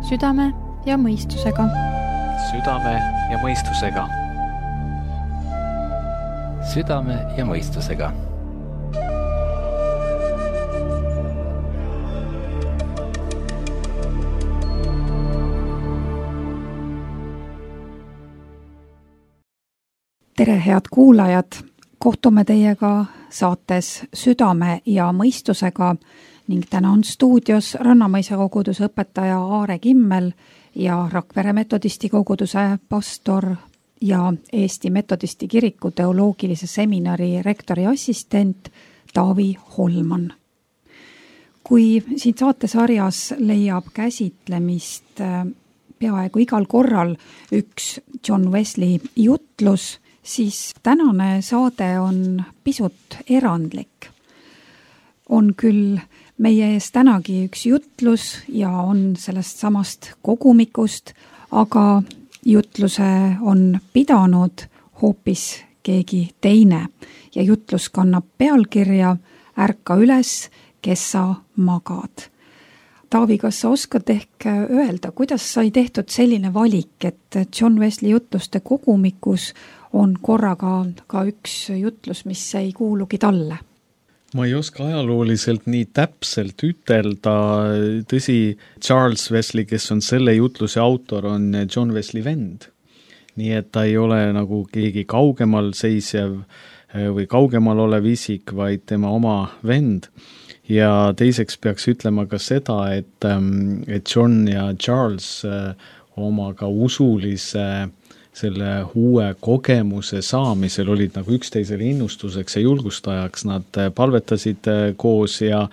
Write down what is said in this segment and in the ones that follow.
Südame ja mõistusega. Südame ja mõistusega. Südame ja mõistusega. Tere, head kuulajad! Kohtume teiega saates Südame ja mõistusega ning täna on stuudios Rannamõisa koguduse õpetaja Aare Kimmel ja Rakvere metodisti koguduse pastor ja Eesti metodisti kiriku teoloogilise seminari rektori assistent Taavi Holman. Kui siin saatesarjas leiab käsitlemist peaaegu igal korral üks John Wesley jutlus, siis tänane saade on pisut erandlik. On küll meie ees tänagi üks jutlus ja on sellest samast kogumikust, aga jutluse on pidanud hoopis keegi teine ja jutlus kannab pealkirja Ärka üles, kes sa magad. Taavi, kas sa oskad ehk öelda, kuidas sai tehtud selline valik, et John Wesley jutluste kogumikus on korraga ka üks jutlus, mis ei kuulugi talle? Ma ei oska ajalooliselt nii täpselt ütelda. Tõsi, Charles Wesley, kes on selle jutluse autor, on John Wesley vend. Nii et ta ei ole nagu keegi kaugemal seisev või kaugemal olev isik, vaid tema oma vend. Ja teiseks peaks ütlema ka seda, et John ja Charles oma ka usulise selle uue kogemuse saamisel olid nagu üksteisele innustuseks ja julgustajaks. Nad palvetasid koos ja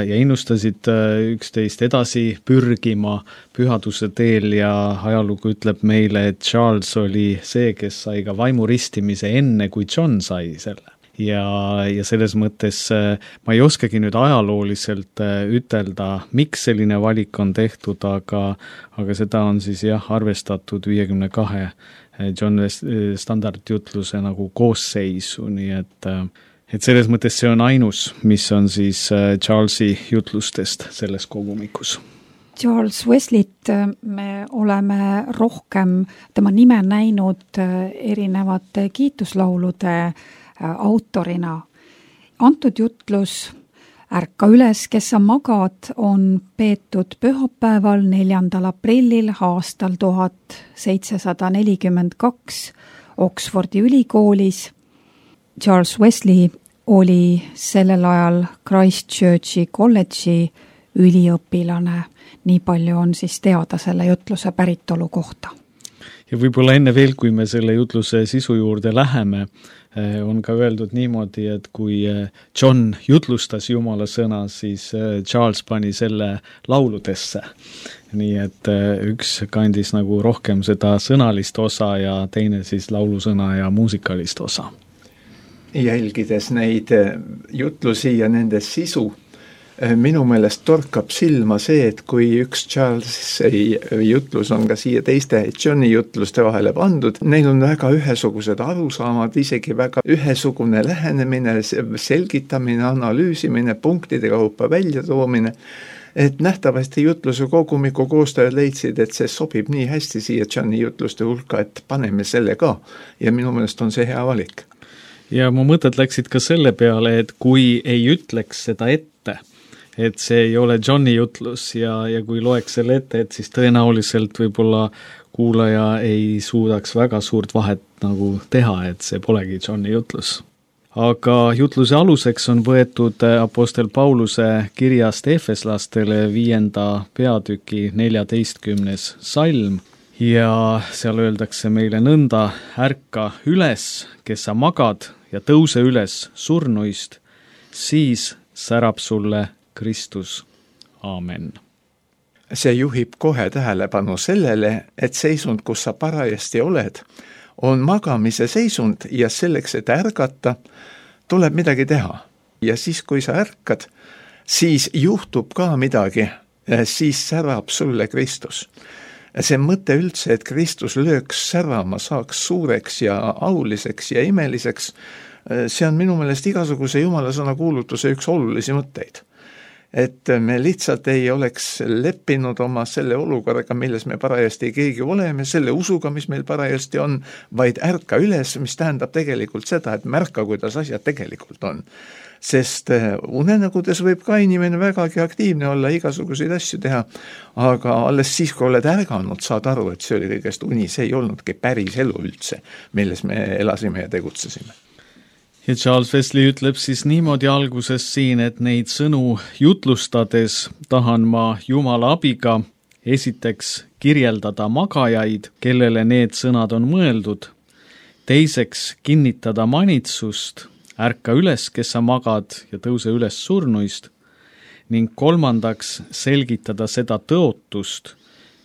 innustasid üksteist edasi pürgima pühaduse teel ja ajalugu ütleb meile, et Charles oli see, kes sai ka vaimuristimise enne, kui John sai selle. Ja selles mõttes ma ei oskagi nüüd ajalooliselt ütelda, miks selline valik on tehtud, aga seda on siis arvestatud 52 John Wesley standardjutluse nagu koosseisu, nii et selles mõttes see on ainus, mis on siis Charlesi jutlustest selles kogumikus. Charles Wesleyt me oleme rohkem tema nime näinud erinevate kiituslaulude autorina. Antud jutlus Ärka üles, kes sa magad, on peetud pühapäeval 4. aprillil aastal 1742 Oxfordi ülikoolis. Charles Wesley oli sellel ajal Christchurchi kolledži üliõpilane. Nii palju on siis teada selle jutluse päritolu kohta. Ja võib-olla enne veel, kui me selle jutluse sisu juurde läheme, on ka öeldud niimoodi, et kui John jutlustas Jumala sõna, siis Charles pani selle lauludesse. Nii et üks kandis nagu rohkem seda sõnalist osa ja teine siis laulusõna ja muusikalist osa. Jälgides neid jutlusi ja nende sisu, minu meelest torkab silma see, et kui üks Charlesi jutlus on ka siia teiste Johni jutluste vahele pandud, neil on väga ühesugused arusaamad, isegi väga ühesugune lähenemine, selgitamine, analüüsimine, punktide kaupa väljatoomine, et nähtavasti jutluse kogumiku koostajad leidsid, et see sobib nii hästi siia Johni jutluste hulka, et paneme selle ka ja minu meelest on see hea valik. Ja mu mõtted läksid ka selle peale, et kui ei ütleks seda ette, et see ei ole Johni jutlus ja kui loeks selle ette, et siis tõenäoliselt võib-olla kuulaja ei suudaks väga suurt vahet nagu teha, et see polegi Johni jutlus. Aga jutluse aluseks on võetud apostel Pauluse kirjast Efeslastele 5. peatüki 14. salm ja seal öeldakse meile nõnda: ärka üles, kes sa magad, ja tõuse üles surnuist, siis särab sulle Kristus. Aamen. See juhib kohe tähelepanu sellele, et seisund, kus sa parajasti oled, on magamise seisund ja selleks, et ärgata, tuleb midagi teha. Ja siis, kui sa ärkad, siis juhtub ka midagi, siis särab sulle Kristus. See mõte üldse, et Kristus lööks särama, saaks suureks ja auliseks ja imeliseks, see on minu meelest igasuguse Jumala sõna kuulutuse üks olulisi mõtteid. et me lihtsalt ei oleks leppinud oma selle olukorraga, milles me parajasti keegi oleme, selle usuga, mis meil parajasti on, vaid ärka üles, mis tähendab tegelikult seda, et märka, kuidas asjad tegelikult on. Sest unenägudes võib ka inimene vägagi aktiivne olla, igasuguseid asju teha, aga alles siis, kui oled ärganud, saad aru, et see oli kõigest uni, see ei olnudki päris elu üldse, milles me elasime ja tegutsesime. Ja Charles Wesley ütleb siis niimoodi alguses siin, et neid sõnu jutlustades tahan ma Jumala abiga esiteks kirjeldada magajaid, kellele need sõnad on mõeldud, teiseks kinnitada manitsust, ärka üles, kes sa magad ja tõuse üles surnuist, ning kolmandaks selgitada seda tõotust,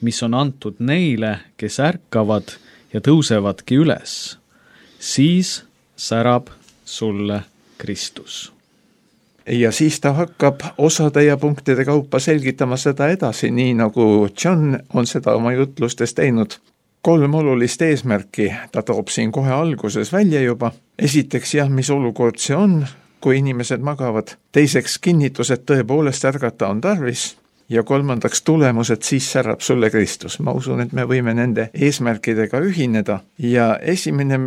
mis on antud neile, kes ärkavad ja tõusevadki üles. Siis särab sulle Kristus. Ja siis ta hakkab osade ja punktide kaupa selgitama seda edasi, nii nagu John on seda oma jutlustes teinud. 3 olulist eesmärki ta toob siin kohe alguses välja juba. Esiteks mis olukord see on, kui inimesed magavad. Teiseks kinnitus, et tõepoolest ärgata on tarvis. Ja kolmandaks tulemus, et siis särab sulle Kristus. Ma usun, et me võime nende eesmärkidega ühineda. Ja esimene,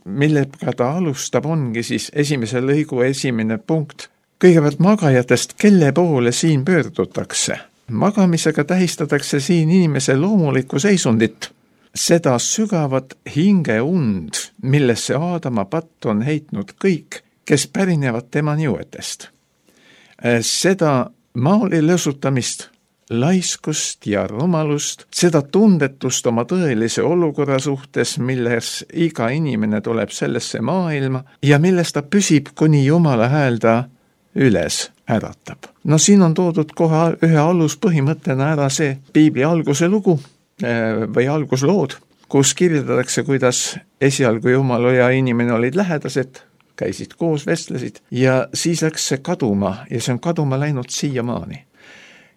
millega ta alustab, ongi siis esimese lõigu esimene punkt. Kõigepealt magajatest, kelle poole siin pöördutakse. Magamisega tähistatakse siin inimese loomulikku seisundit. Seda sügavat hingeund, millesse Aadama patt on heitnud kõik, kes pärinevad tema niuetest. Seda maali lõsutamist, laiskust ja rumalust, seda tundetust oma tõelise olukorra suhtes, milles iga inimene tuleb sellesse maailma ja milles ta püsib, kuni Jumala hääl ta üles äratab. No siin on toodud kohe ühe aluspõhimõttena ära see Piibli alguse lugu või alguslood, kus kirjeldatakse, kuidas esialgu Jumal ja inimene olid lähedased, käisid koos, vestlesid ja siis läks see kaduma ja see on kaduma läinud siiamaani.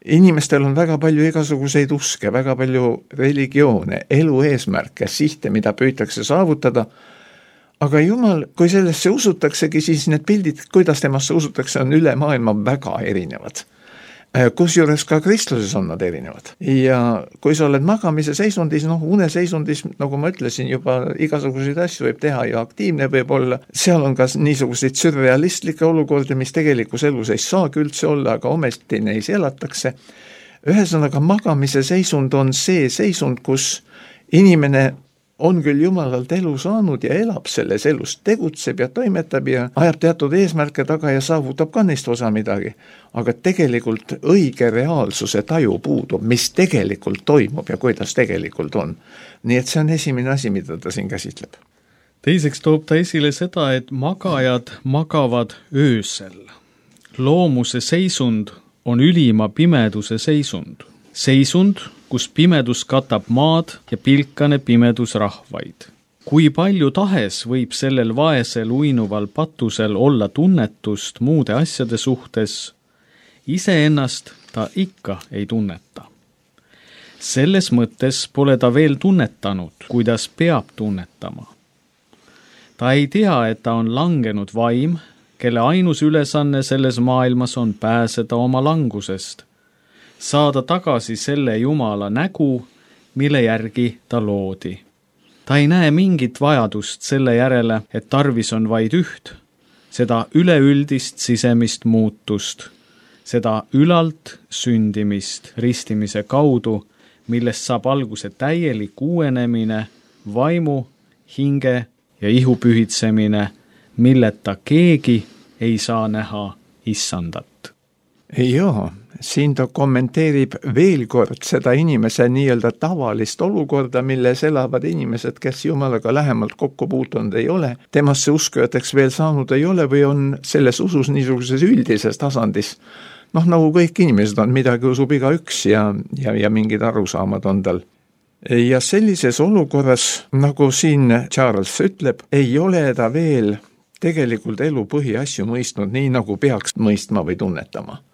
Inimestel on väga palju igasuguseid uske, väga palju religioone, elu eesmärke, sihte, mida püütakse saavutada, aga Jumal, kui sellesse usutaksegi, siis need pildid, kuidas temasse usutakse, on üle maailma väga erinevad. Kusjuures ka kristluses on nad erinevad. Ja kui sa oled magamise seisundis, uneseisundis, nagu ma ütlesin juba, igasuguseid asju võib teha ja aktiivne võib olla, seal on ka niisuguseid sürrealistlikke olukordi, mis tegelikus elus ei saagi üldse olla, aga ometi neis elatakse. Ühesõnaga, magamise seisund on see seisund, kus inimene on küll Jumalalt elu saanud ja elab selles elus, tegutseb ja toimetab ja ajab teatud eesmärke taga ja saavutab ka neist osa midagi. Aga tegelikult õige reaalsuse taju puudub, mis tegelikult toimub ja kuidas tegelikult on. Nii et see on esimene asi, mida ta siin käsitleb. Teiseks toob ta esile seda, et magajad magavad öösel. Loomuse seisund on ülima pimeduse seisund. Seisund, kus pimedus katab maad ja pilkane pimedus rahvaid. Kui palju tahes võib sellel vaesel uinuval patusel olla tunnetust muude asjade suhtes, iseennast ta ikka ei tunneta. Selles mõttes pole ta veel tunnetanud, kuidas peab tunnetama. Ta ei tea, et ta on langenud vaim, kelle ainus ülesanne selles maailmas on pääseda oma langusest, saada tagasi selle Jumala nägu, mille järgi ta loodi. Ta ei näe mingit vajadust selle järele, et tarvis on vaid üht, seda üleüldist sisemist muutust, seda ülalt sündimist ristimise kaudu, millest saab alguse täielik uuenemine, vaimu, hinge ja ihu pühitsemine, milleta keegi ei saa näha issandat. Joo. Siin ta kommenteerib veel kord seda inimese nii-öelda tavalist olukorda, milles elavad inimesed, kes Jumalaga lähemalt kokku puutunud ei ole, temasse uskujateks veel saanud ei ole või on selles usus niisuguses üldises tasandis. Nagu kõik inimesed on, midagi usub igaüks ja mingid arusaamad on tal. Ja sellises olukorras, nagu siin Charles ütleb, ei ole ta veel tegelikult elu põhiasju mõistnud nii, nagu peaks mõistma või tunnetama.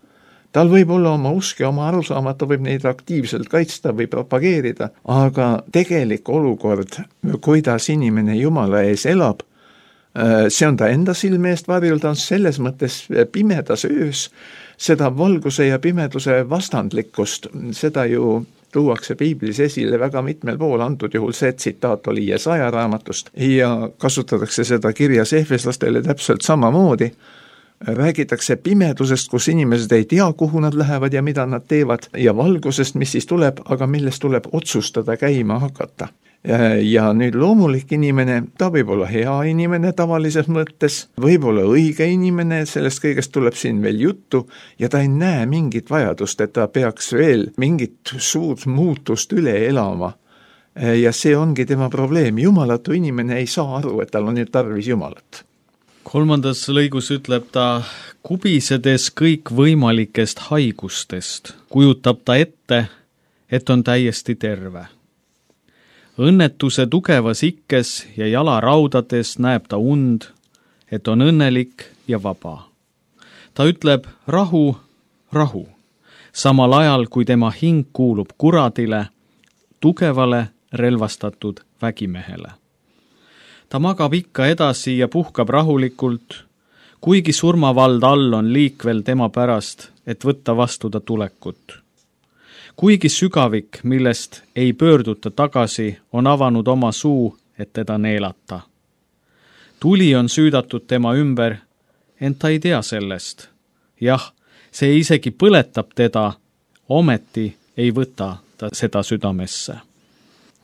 Tal võib olla oma usk ja oma arusaamad, ta võib neid aktiivselt kaitsta või propageerida, aga tegelik olukord, kuidas inimene Jumala ees elab, See on ta enda silme eest varjul, ta on selles mõttes pimedas öös, seda valguse ja pimeduse vastandlikkust, seda ju tuuakse piiblis esile väga mitmel pool, antud juhul see tsitaat oli Jesaja raamatust ja kasutatakse seda kirjas Efeslastele täpselt samamoodi. Räägitakse pimedusest, kus inimesed ei tea, kuhu nad lähevad ja mida nad teevad, ja valgusest, mis siis tuleb, aga millest tuleb otsustada käima hakata. Ja nüüd loomulik inimene, ta võib olla hea inimene tavalises mõttes, võib olla õige inimene, sellest kõigest tuleb siin veel juttu ja ta ei näe mingit vajadust, et ta peaks veel mingit suurt muutust üle elama. Ja see ongi tema probleem, jumalatu inimene ei saa aru, et tal on nüüd tarvis Jumalat. 3. lõigus ütleb ta, kubisedes kõik võimalikest haigustest, kujutab ta ette, et on täiesti terve. Õnnetuse tugevas ikkes ja jalaraudades näeb ta und, et on õnnelik ja vaba. Ta ütleb rahu, rahu, samal ajal kui tema hing kuulub kuradile, tugevale relvastatud vägimehele. Ta magab ikka edasi ja puhkab rahulikult, kuigi surmavald all on liikvel tema pärast, et võtta vastu ta tulekut. Kuigi sügavik, millest ei pöörduta tagasi, on avanud oma suu, et teda neelata. Tuli on süüdatud tema ümber, ent ta ei tea sellest. Jah, see isegi põletab teda, ometi ei võta ta seda südamesse.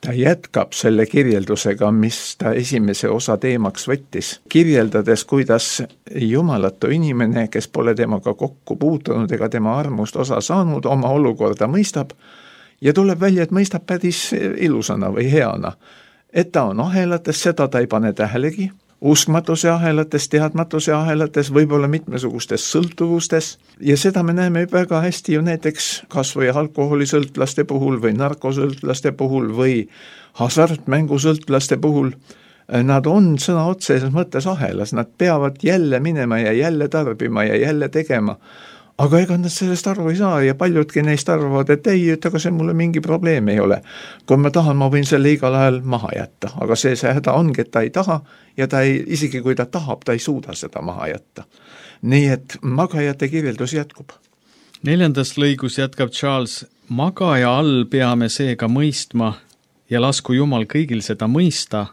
Ta jätkab selle kirjeldusega, mis ta esimese osa teemaks võttis, kirjeldades, kuidas jumalatu inimene, kes pole temaga kokku puutunud ega tema armust osa saanud, oma olukorda mõistab ja tuleb välja, et mõistab päris ilusana või heana. Et ta on ahelates, seda ta ei pane tähelegi, uskmatuse ahelates, teadmatuse ahelates, võib-olla mitmesugustes sõltuvustes ja seda me näeme väga hästi ju näiteks kas või alkoholisõltlaste puhul või narkosõltlaste puhul või hasartmängusõltlaste puhul. Nad on sõna otseses mõttes ahelas, nad peavad jälle minema ja jälle tarbima ja jälle tegema. Aga ega nad sellest aru ei saa ja paljudki neist arvavad, et ei, aga see mulle mingi probleem ei ole. Kui ma tahan, ma võin selle igal ajal maha jätta, aga see häda ongi, et ta ei taha ja ta ei, isegi kui ta tahab, ta ei suuda seda maha jätta. Nii et magajate kirjeldus jätkub. 4. lõigus jätkab Charles, magaja all peame seega mõistma ja lasku Jumal kõigil seda mõista,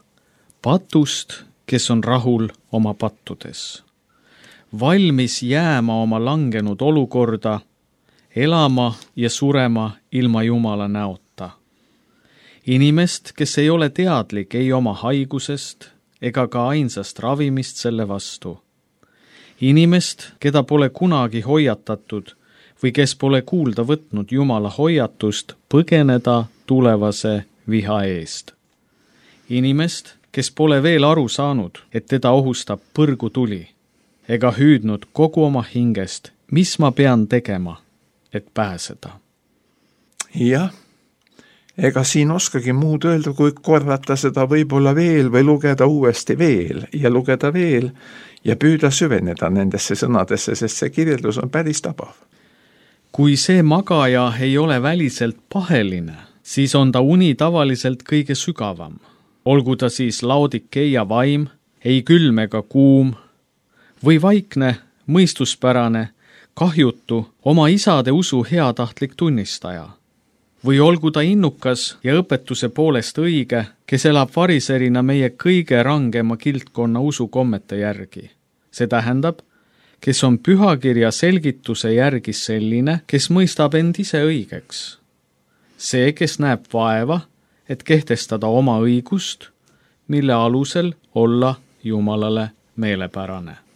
patust, kes on rahul oma pattudes. Valmis jääma oma langenud olukorda, elama ja surema ilma Jumala näota. Inimest, kes ei ole teadlik ei oma haigusest ega ka ainsast ravimist selle vastu. Inimest, keda pole kunagi hoiatatud või kes pole kuulda võtnud Jumala hoiatust põgeneda tulevase viha eest. Inimest, kes pole veel aru saanud, et teda ohustab põrgutuli ega hüüdnud kogu oma hingest, mis ma pean tegema, et pääseda. Jah, ega siin oskagi muud öelda, kui korrata seda võib-olla veel või lugeda uuesti veel ja lugeda veel ja püüda süveneda nendesse sõnadesse, sest see kirjeldus on päris tabav. Kui see magaja ei ole väliselt paheline, siis on ta uni tavaliselt kõige sügavam. Olgu ta siis Laodikeia vaim, ei külm ega kuum, või vaikne, mõistuspärane, kahjutu, oma isade usu heatahtlik tunnistaja. Või olgu ta innukas ja õpetuse poolest õige, kes elab variserina meie kõige rangema kildkonna usukommete järgi. See tähendab, kes on pühakirja selgituse järgi selline, kes mõistab end ise õigeks. See, kes näeb vaeva, et kehtestada oma õigust, mille alusel olla Jumalale meelepärane.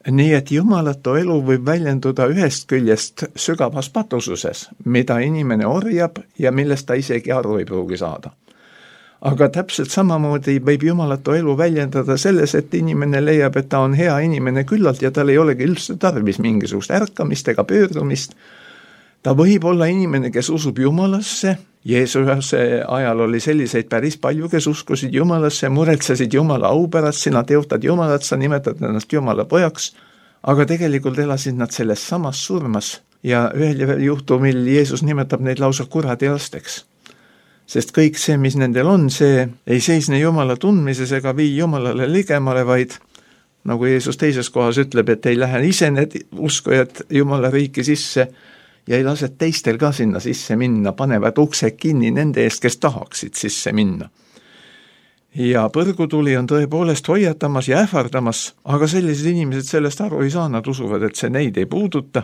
Nii et jumalatu elu võib väljenduda ühest küljest sügavas patususes, mida inimene orjab ja millest ta isegi aru ei pruugi saada. Aga täpselt samamoodi võib jumalatu elu väljendada selles, et inimene leiab, et ta on hea inimene küllalt ja tal ei olegi üldse tarvis mingisugust ärkamist ega pöördumist. Ta võib olla inimene, kes usub Jumalasse. Jeesuse ajal oli selliseid päris palju, kes uskusid Jumalasse, muretsesid Jumala au pärast, sina teotad Jumalat, sa nimetad ennast Jumala pojaks, aga tegelikult elasid nad selles samas surmas ja ühel juhtumil Jeesus nimetab neid lausa kuradi lasteks. Sest kõik see, mis nendel on, see ei seisne Jumala tundmises ega vii Jumalale ligemale, vaid nagu Jeesus teises kohas ütleb, et ei lähe ise need uskujad Jumala riiki sisse ja ei lase teistel ka sinna sisse minna, panevad uksed kinni nende eest, kes tahaksid sisse minna. Ja põrgutuli on tõepoolest hoiatamas ja ähvardamas, aga sellised inimesed sellest aru ei saa, nad usuvad, et see neid ei puuduta.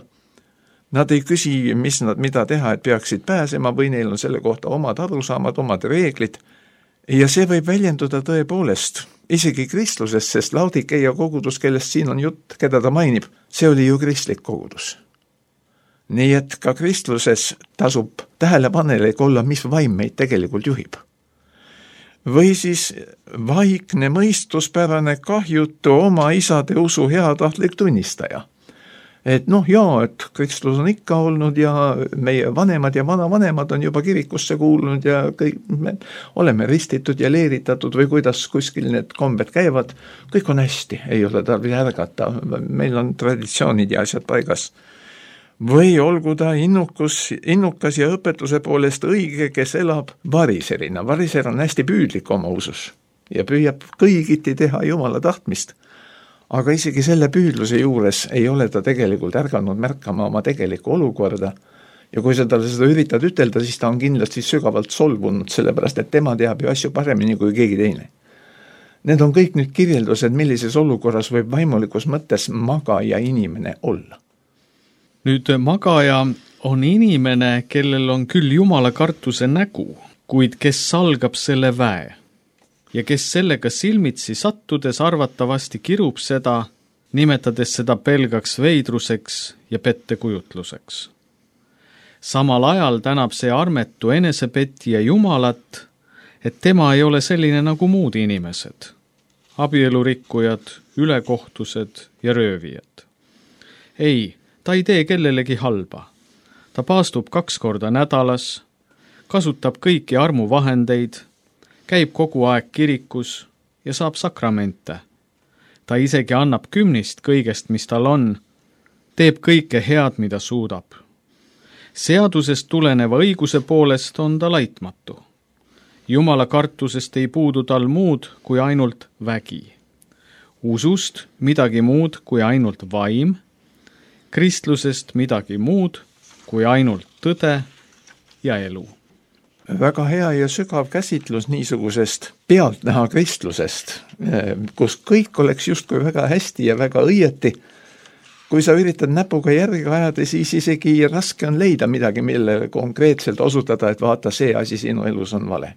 Nad ei küsi, mida teha, et peaksid pääsema või neil on selle kohta omad arusaamad, omad reeglid. Ja see võib väljenduda tõepoolest isegi kristluses, sest Laodikeia kogudus, kellest siin on jutt, keda ta mainib, see oli ju kristlik kogudus. Nii et ka kristluses tasub tähelepanelik olla, mis vaim meid tegelikult juhib. Või siis vaikne mõistuspärane kahjutu oma isade usu heatahtlik tunnistaja. Et et kristlus on ikka olnud ja meie vanemad ja vanavanemad on juba kirikusse kuulunud ja kõik me oleme ristitud ja leeritatud või kuidas kuskil need kombed käivad, kõik on hästi, ei ole tarvis ärgata, meil on traditsioonid ja asjad paigas. Või olgu ta innukas ja õpetuse poolest õige, kes elab variserina. Variser on hästi püüdlik oma usus ja püüab kõigiti teha Jumala tahtmist. Aga isegi selle püüdluse juures ei ole ta tegelikult ärganud märkama oma tegelikku olukorda. Ja kui sa talle seda üritad ütelda, siis ta on kindlasti sügavalt solvunud, sellepärast et tema teab ju asju paremini kui keegi teine. Need on kõik nüüd kirjeldused, millises olukorras võib vaimulikus mõttes magaja inimene olla. Nüüd magaja on inimene, kellel on küll Jumala kartuse nägu, kuid kes salgab selle väe ja kes sellega silmitsi sattudes arvatavasti kirub seda, nimetades seda pelgaks veidruseks ja pettekujutluseks. Samal ajal tänab see armetu enesepetija Jumalat, et tema ei ole selline nagu muud inimesed, abielurikkujad, ülekohtused ja röövijad. Ei, ta ei tee kellelegi halba. Ta paastub 2 korda nädalas, kasutab kõiki armuvahendeid, käib kogu aeg kirikus ja saab sakramente. Ta isegi annab 10 kõigest, mis tal on, teeb kõike head, mida suudab. Seadusest tuleneva õiguse poolest on ta laitmatu. Jumala kartusest ei puudu tal muud kui ainult vägi. Usust midagi muud kui ainult vaim, kristlusest midagi muud kui ainult tõde ja elu. Väga hea ja sügav käsitlus niisugusest pealtnäha kristlusest, kus kõik oleks justkui väga hästi ja väga õieti. Kui sa üritad näpuga järgi ajada, siis isegi raske on leida midagi, millele konkreetselt osutada, et vaata, see asi sinu elus on vale.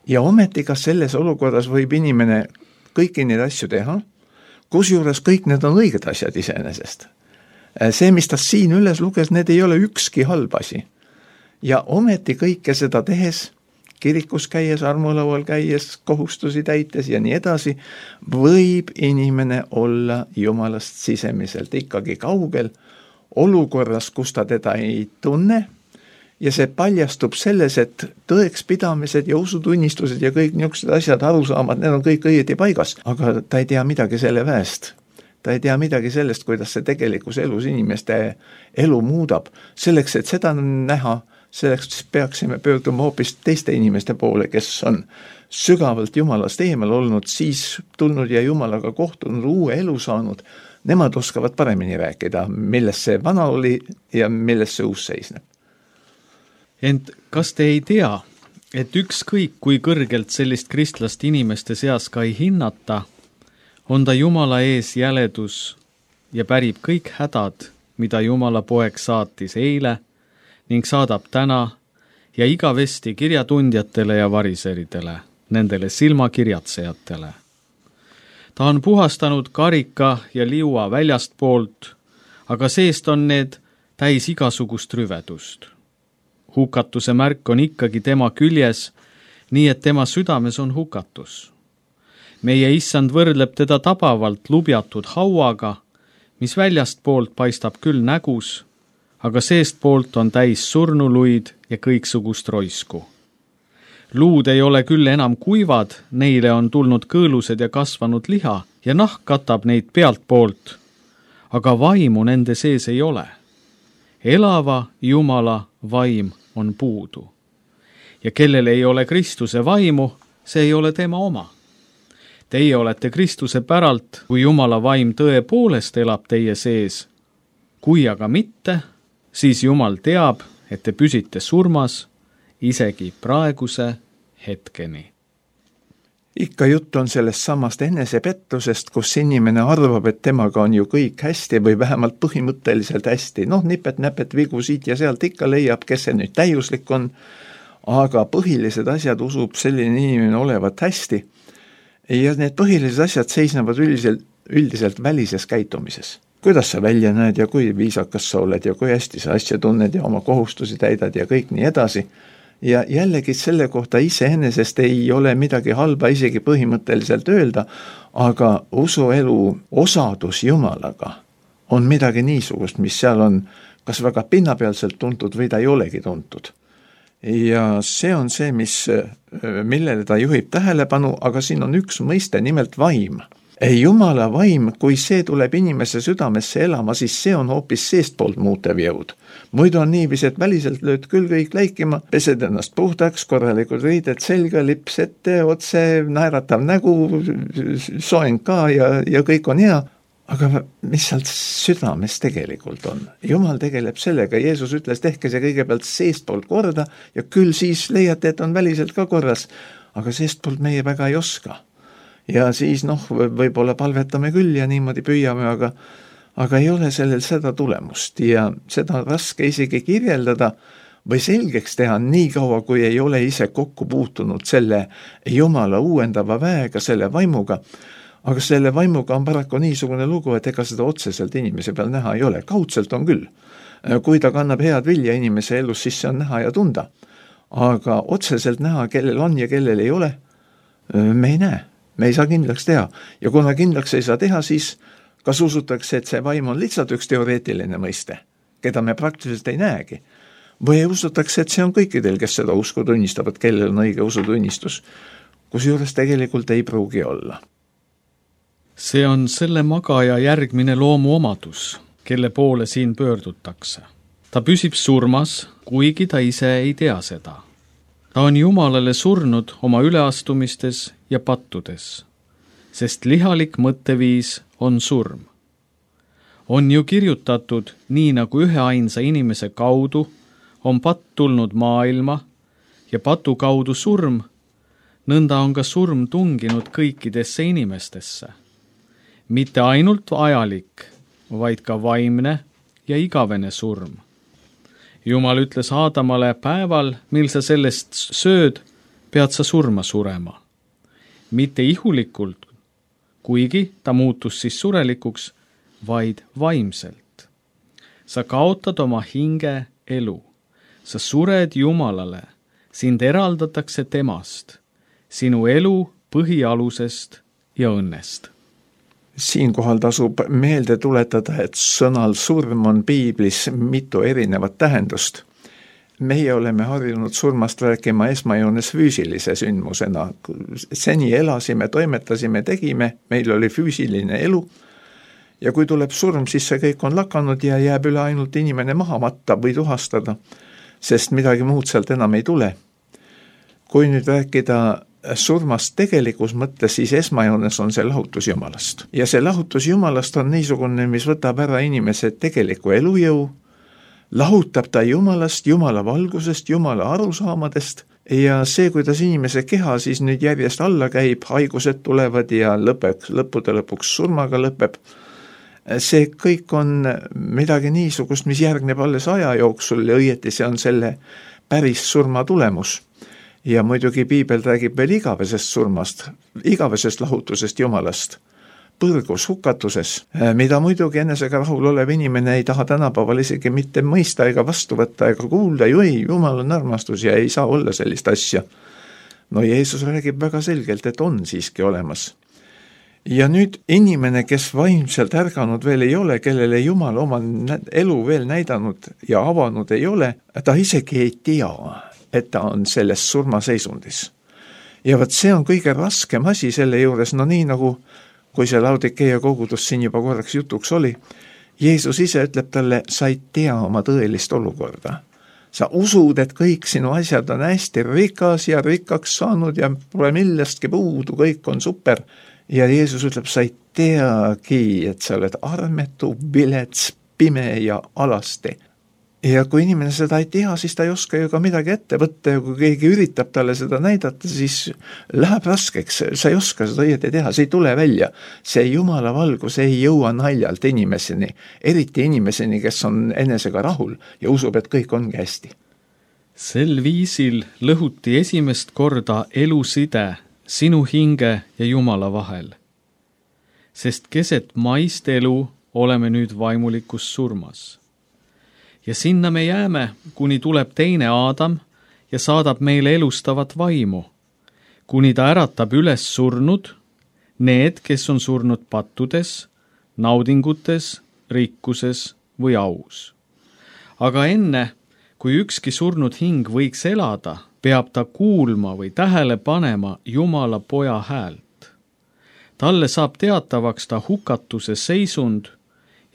Ja ometi kas selles olukorras võib inimene kõiki neid asju teha, kusjuures kõik need on õiged asjad iseenesest. See, mis ta siin üles luges, need ei ole ükski halb asi. Ja ometi kõike seda tehes, kirikus käies, armulaual käies, kohustusi täites ja nii edasi, võib inimene olla Jumalast sisemiselt ikkagi kaugel, olukorras, kus ta teda ei tunne, ja see paljastub selles, et tõekspidamised ja usutunnistused ja kõik niisugused asjad, arusaamad, need on kõik õieti paigas, aga ta ei tea midagi selle väest. Ta ei tea midagi sellest, kuidas see tegelikus elus inimeste elu muudab. Selleks, et seda näha, selleks peaksime pöörduma hoopis teiste inimeste poole, kes on sügavalt Jumalast eemal olnud, siis tulnud ja Jumalaga kohtunud, uue elu saanud. Nemad oskavad paremini rääkida, milles see vana oli ja milles see uus seisneb. Ent kas te ei tea, et ükskõik kui kõrgelt sellist kristlast inimeste seas ka ei hinnata, on ta Jumala ees jäledus ja pärib kõik hädad, mida Jumala poeg saatis eile ning saadab täna ja igavesti kirjatundjatele ja variseridele, nendele silmakirjatsejatele. Ta on puhastanud karika ja liua väljast poolt, aga seest on need täis igasugust rüvedust. Hukatuse märk on ikkagi tema küljes, nii et tema südames on hukatus. Meie issand võrdleb teda tabavalt lubjatud hauaga, mis väljast poolt paistab küll nägus, aga seest poolt on täis surnuluid ja kõiksugust roisku. Luud ei ole küll enam kuivad, neile on tulnud kõõlused ja kasvanud liha ja nahk katab neid pealt poolt, aga vaimu nende sees ei ole. Elava Jumala vaim on puudu. Ja kellel ei ole Kristuse vaimu, see ei ole tema oma. Teie olete Kristuse päralt, kui Jumala vaim tõepoolest elab teie sees. Kui aga mitte, siis Jumal teab, et te püsite surmas isegi praeguse hetkeni. Ikka jutt on sellest samast enesepettusest, kus inimene arvab, et temaga on ju kõik hästi või vähemalt põhimõtteliselt hästi. Nipet-näpet vigu siit ja sealt ikka leiab, kes see nüüd täiuslik on, aga põhilised asjad usub selline inimene olevat hästi. Ja need põhilised asjad seisnevad üldiselt välises käitumises. Kuidas sa välja näed ja kui viisakas sa oled ja kui hästi sa asja tunned ja oma kohustusi täidad ja kõik nii edasi. Ja jällegi selle kohta iseenesest ei ole midagi halba isegi põhimõtteliselt öelda, aga usuelu osadus Jumalaga on midagi niisugust, mis seal on kas väga pinnapealselt tuntud või ta ei olegi tuntud. Ja see on see, millele ta juhib tähelepanu, aga siin on üks mõiste, nimelt vaim. Jumala vaim, kui see tuleb inimese südamesse elama, siis see on hoopis seestpoolt muutev jõud. Muidu on niivis, et väliselt lööd küll kõik läikima, pesed ennast puhtaks, korralikud riided selga, lips ette, otse, naeratav nägu, soeng ka ja kõik on hea. Aga mis sealt südames tegelikult on? Jumal tegeleb sellega, Jeesus ütles, tehke see kõigepealt seestpoolt korda ja küll siis leiate, et on väliselt ka korras, aga seestpoolt meie väga ei oska. Ja siis võib-olla palvetame küll ja niimoodi püüame, aga ei ole sellel seda tulemust ja seda on raske isegi kirjeldada või selgeks teha nii kaua, kui ei ole ise kokku puutunud selle Jumala uuendava väega, selle vaimuga. Aga selle vaimuga on paraku niisugune lugu, et ega seda otseselt inimese peal näha ei ole. Kaudselt on küll. Kui ta kannab head vilja inimese elus, siis see on näha ja tunda. Aga otseselt näha, kellel on ja kellel ei ole, me ei näe. Me ei saa kindlaks teha. Ja kuna kindlaks ei saa teha, siis kas usutakse, et see vaim on lihtsalt üks teoreetiline mõiste, keda me praktiliselt ei näegi. Või usutakse, et see on kõikidel, kes seda usku tunnistavad, kellel on õige usutunnistus, kusjuures tegelikult ei pruugi olla. See on selle magaja järgmine loomu omadus, kelle poole siin pöördutakse. Ta püsib surmas, kuigi ta ise ei tea seda. Ta on Jumalale surnud oma üleastumistes ja pattudes, sest lihalik mõtteviis on surm. On ju kirjutatud, nii nagu üheainsa inimese kaudu on patt tulnud maailma ja patu kaudu surm, nõnda on ka surm tunginud kõikidesse inimestesse. Mitte ainult ajalik, vaid ka vaimne ja igavene surm. Jumal ütles Aadamale, päeval, mil sa sellest sööd, pead sa surma surema. Mitte ihulikult, kuigi ta muutus siis surelikuks, vaid vaimselt. Sa kaotad oma hinge elu. Sa sured Jumalale, sind eraldatakse temast, sinu elu põhialusest ja õnnest. Siinkohal tasub meelde tuletada, et sõnal surm on piiblis mitu erinevat tähendust. Meie oleme harjunud surmast rääkima esmajoones füüsilise sündmusena. Seni elasime, toimetasime, tegime, meil oli füüsiline elu ja kui tuleb surm, siis see kõik on lakanud ja jääb üle ainult inimene maha matta või tuhastada, sest midagi muud sealt enam ei tule. Kui nüüd rääkida surmast tegelikus mõttes, siis esmajoones on see lahutus Jumalast. Ja see lahutus Jumalast on niisugune, mis võtab ära inimese tegeliku elujõu, lahutab ta Jumalast, Jumala valgusest, Jumala arusaamadest ja see, kuidas inimese keha siis nüüd järjest alla käib, haigused tulevad ja lõppude lõpuks surmaga lõpeb. See kõik on midagi niisugust, mis järgneb alles aja jooksul ja õieti see on selle päris surma tulemus. Ja muidugi piibel räägib veel igavesest surmast, igavesest lahutusest Jumalast, põrgus, hukatuses, mida muidugi enesega rahul olev inimene ei taha tänapäeval isegi mitte mõista ega vastu võtta ega kuulda, ju ei, Jumal on armastus ja ei saa olla sellist asja. No Jeesus räägib väga selgelt, et on siiski olemas. Ja nüüd inimene, kes vaimselt ärganud veel ei ole, kellele Jumal oma elu veel näidanud ja avanud ei ole, ta isegi ei tea, et ta on selles surmaseisundis. Ja võt see on kõige raskem asi selle juures, no nii nagu kui see Laodikeia kogudus siin juba korraks jutuks oli, Jeesus ise ütleb talle, sa ei tea oma tõelist olukorda. Sa usud, et kõik sinu asjad on hästi rikas ja rikkaks saanud ja pole millestki puudu, kõik on super ja Jeesus ütleb, sa ei teagi, et sa oled armetu, vilets, pime ja alasti. Ja kui inimene seda ei tea, siis ta ei oska ju ka midagi ette võtta ja kui keegi üritab talle seda näidata, siis läheb raskeks, sa ei oska seda õieti teha, see ei tule välja. See Jumala valgus ei jõua naljalt inimeseni, eriti inimeseni, kes on enesega rahul ja usub, et kõik ongi hästi. Sel viisil lõhuti esimest korda eluside sinu hinge ja Jumala vahel. Sest keset maist elu oleme nüüd vaimulikus surmas. Ja sinna me jääme, kuni tuleb teine Aadam ja saadab meile elustavat vaimu, kuni ta äratab üles surnud, need, kes on surnud pattudes, naudingutes, rikkuses või aus. Aga enne, kui ükski surnud hing võiks elada, peab ta kuulma või tähele panema Jumala poja häält. Talle saab teatavaks ta hukatuse seisund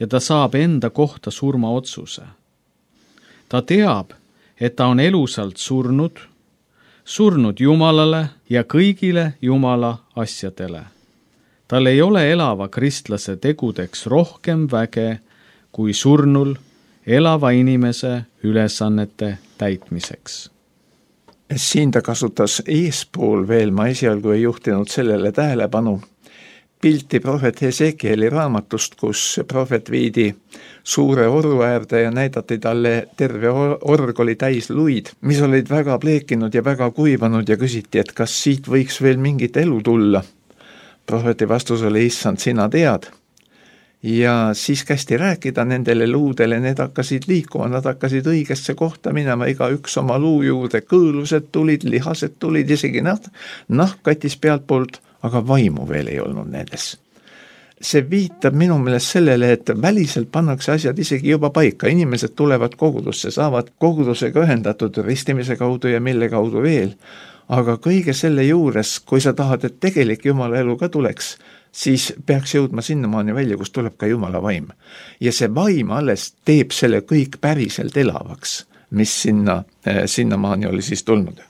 ja ta saab enda kohta surmaotsuse. Ta teab, et ta on elusalt surnud Jumalale ja kõigile Jumala asjadele. Tal ei ole elava kristlase tegudeks rohkem väge kui surnul elava inimese ülesannete täitmiseks. Siin ta kasutas eespool veel, ma esialgu ei juhtinud sellele tähelepanu, pilti prohvet Hesekieli raamatust, kus prohvet viidi suure oru äärde ja näidati talle terve org oli täis luid, mis olid väga pleekinud ja väga kuivanud ja küsiti, et kas siit võiks veel mingit elu tulla. Prohveti vastus oli, issand, sina tead. Ja siis kästi rääkida nendele luudele, need hakkasid liikuma, nad hakkasid õigesse kohta minema, iga üks oma luu juurde, kõõlused tulid, lihased tulid, isegi nahk katis pealt poolt, aga vaimu veel ei olnud nendes. See viitab minu meelest sellele, et väliselt pannakse asjad isegi juba paika, inimesed tulevad kogudusse, saavad kogudusega ühendatud ristimise kaudu ja mille kaudu veel, aga kõige selle juures, kui sa tahad, et tegelik Jumala elu ka tuleks, siis peaks jõudma sinnamaani välja, kus tuleb ka Jumala vaim. Ja see vaim alles teeb selle kõik päriselt elavaks, mis sinnamaani oli siis tulnud.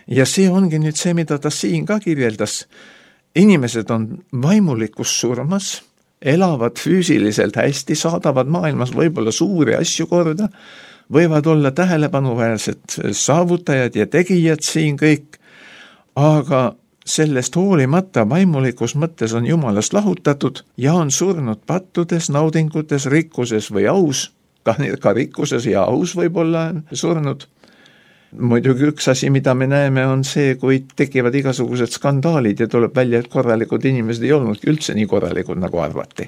Ja see ongi nüüd see, mida ta siin ka kirjeldas. Inimesed on vaimulikus surmas, elavad füüsiliselt hästi, saadavad maailmas võib-olla suuri asju korda, võivad olla tähelepanuväärsed saavutajad ja tegijad siin kõik, aga sellest hoolimata vaimulikus mõttes on Jumalast lahutatud ja on surnud pattudes, naudingutes, rikkuses või aus, ka rikkuses ja aus võib olla surnud. Muidugi üks asi, mida me näeme, on see, kui tekivad igasugused skandaalid ja tuleb välja, et korralikud inimesed ei olnudki üldse nii korralikud, nagu arvati.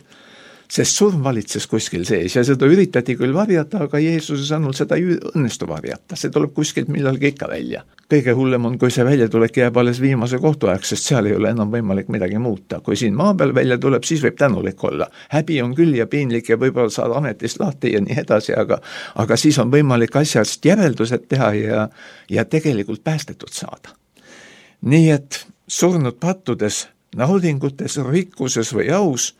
Sest surm valitses kuskil sees ja seda üritati küll varjata, aga Jeesuse sõnul seda ei õnnestu varjata, see tuleb kuskilt millalgi ikka välja. Kõige hullem on, kui see väljatulek jääb alles viimase kohtuaeg, sest seal ei ole enam võimalik midagi muuta. Kui siin maa peal välja tuleb, siis võib tänulik olla. Häbi on küll ja piinlik ja võib-olla saad ametist lahti ja nii edasi, aga siis on võimalik asjast järeldused teha ja tegelikult päästetud saada. Nii et surnud pattudes, naudingutes, rikkuses või aus.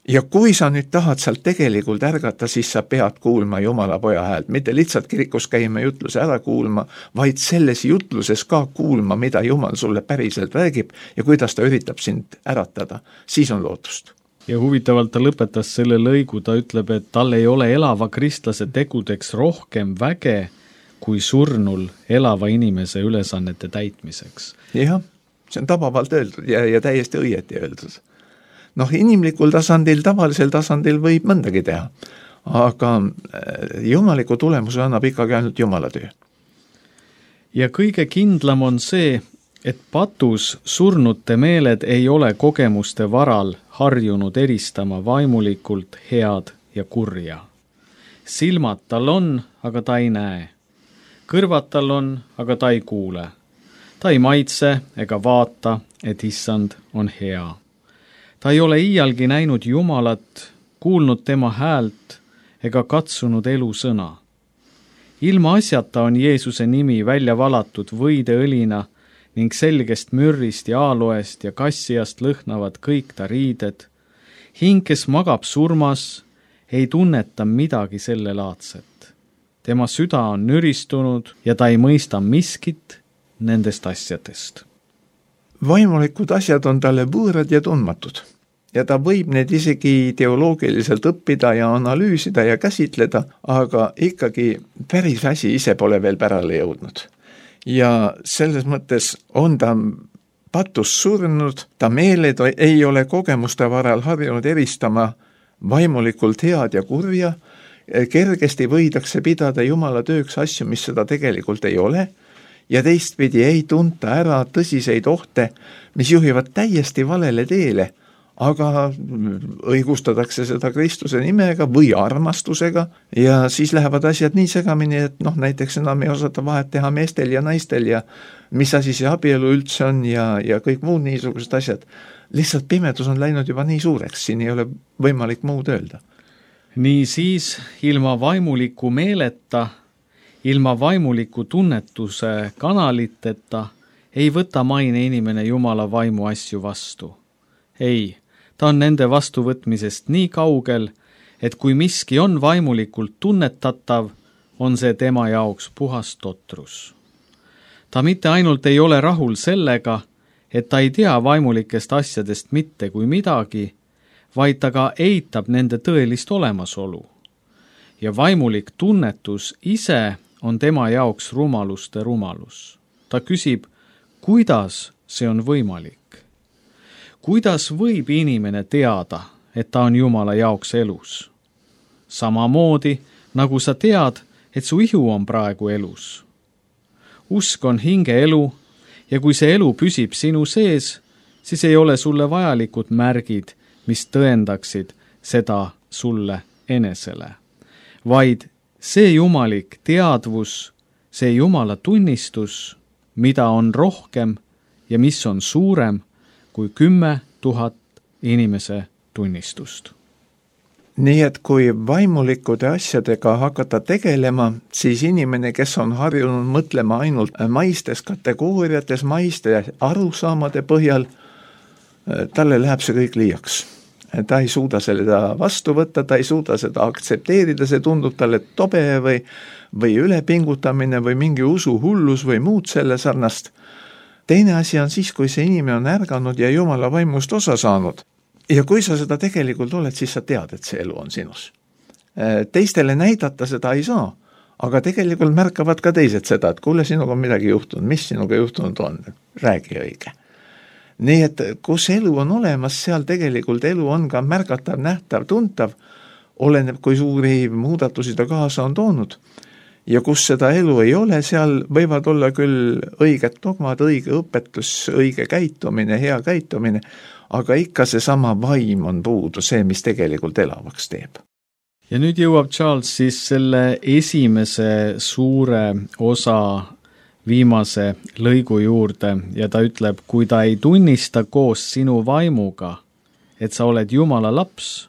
Ja kui sa nüüd tahad sealt tegelikult ärgata, siis sa pead kuulma Jumala poja häält, mitte lihtsalt kirikus käima jutluse ära kuulma, vaid selles jutluses ka kuulma, mida Jumal sulle päriselt räägib ja kuidas ta üritab sind äratada, siis on lootust. Ja huvitavalt ta lõpetas selle lõigu, ta ütleb, et tal ei ole elava kristlase tegudeks rohkem väge kui surnul elava inimese ülesannete täitmiseks. Jah, see on tabavalt öeldud ja täiesti õieti öeldud. Inimlikul tasandil, tavalisel tasandil võib mõndagi teha, aga jumaliku tulemuse annab ikkagi ainult Jumala töö. Ja kõige kindlam on see, et patus surnute meeled ei ole kogemuste varal harjunud eristama vaimulikult head ja kurja. Silmad tal on, aga ta ei näe. Kõrvad tal on, aga ta ei kuule. Ta ei maitse ega vaata, et issand on hea. Ta ei ole iialgi näinud Jumalat, kuulnud tema häält ega katsunud elusõna. Ilma asjata on Jeesuse nimi välja valatud võideõlina ning selgest mürrist ja aaloest ja kassiast lõhnavad kõik ta riided. Hing, kes magab surmas, ei tunneta midagi selle laadset. Tema süda on nüristunud ja ta ei mõista miskit nendest asjadest. vaimulikud asjad on talle võõrad ja tundmatud. Ja ta võib need isegi teoloogiliselt õppida ja analüüsida ja käsitleda, aga ikkagi päris asi ise pole veel pärale jõudnud. Ja selles mõttes on ta patus surnud, ta meeled ei ole kogemuste varal harjunud eristama vaimulikult head ja kurja, kergesti võidakse pidada Jumala tööks asju, mis seda tegelikult ei ole, ja teistpidi ei tunta ära tõsiseid ohte, mis juhivad täiesti valele teele, aga õigustatakse seda Kristuse nimega või armastusega ja siis lähevad asjad nii segamini, et näiteks enam ei osata vahet teha meestel ja naistel ja mis asi see abielu üldse on ja kõik muud niisugused asjad. Lihtsalt pimedus on läinud juba nii suureks, siin ei ole võimalik muud öelda. Nii siis ilma vaimuliku meeleta, ilma vaimuliku tunnetuse kanaliteta ei võta maine inimene Jumala vaimu asju vastu. Ei, ta on nende vastuvõtmisest nii kaugel, et kui miski on vaimulikult tunnetatav, on see tema jaoks puhas totrus. Ta mitte ainult ei ole rahul sellega, et ta ei tea vaimulikest asjadest mitte kui midagi, vaid ta ka eitab nende tõelist olemasolu. Ja vaimulik tunnetus ise on tema jaoks rumaluste rumalus. Ta küsib, kuidas see on võimalik? Kuidas võib inimene teada, et ta on Jumala jaoks elus? Samamoodi, nagu sa tead, et su ihu on praegu elus. Usk on hinge elu ja kui see elu püsib sinu sees, siis ei ole sulle vajalikud märgid, mis tõendaksid seda sulle enesele. Vaid see jumalik teadvus, see Jumala tunnistus, mida on rohkem ja mis on suurem kui 10 000 inimese tunnistust. Nii et kui vaimulikude asjadega hakata tegelema, siis inimene, kes on harjunud mõtlema ainult maistes kategooriates, maiste arusaamade põhjal, talle läheb see kõik liiaks. Ta ei suuda seda vastu võtta, ta ei suuda seda aktsepteerida, see tundub talle tobe või ülepingutamine või mingi usuhullus või muud selle sarnast. Teine asi on siis, kui see inimene on ärganud ja Jumala vaimust osa saanud. Ja kui sa seda tegelikult oled, siis sa tead, et see elu on sinus. Teistele näidata seda ei saa, aga tegelikult märkavad ka teised seda, et kuule, sinuga on midagi juhtunud, mis sinuga juhtunud on, räägi õige. Nii et kus elu on olemas, seal tegelikult elu on ka märgatav, nähtav, tuntav, oleneb, kui suuri muudatusi ta kaasa on toonud. Ja kus seda elu ei ole, seal võivad olla küll õiged dogmad, õige õpetus, õige käitumine, hea käitumine, aga ikka see sama vaim on puudu, see, mis tegelikult elavaks teeb. Ja nüüd jõuab Charles siis selle esimese suure osa viimase lõigu juurde ja ta ütleb, kui ta ei tunnista koos sinu vaimuga, et sa oled Jumala laps,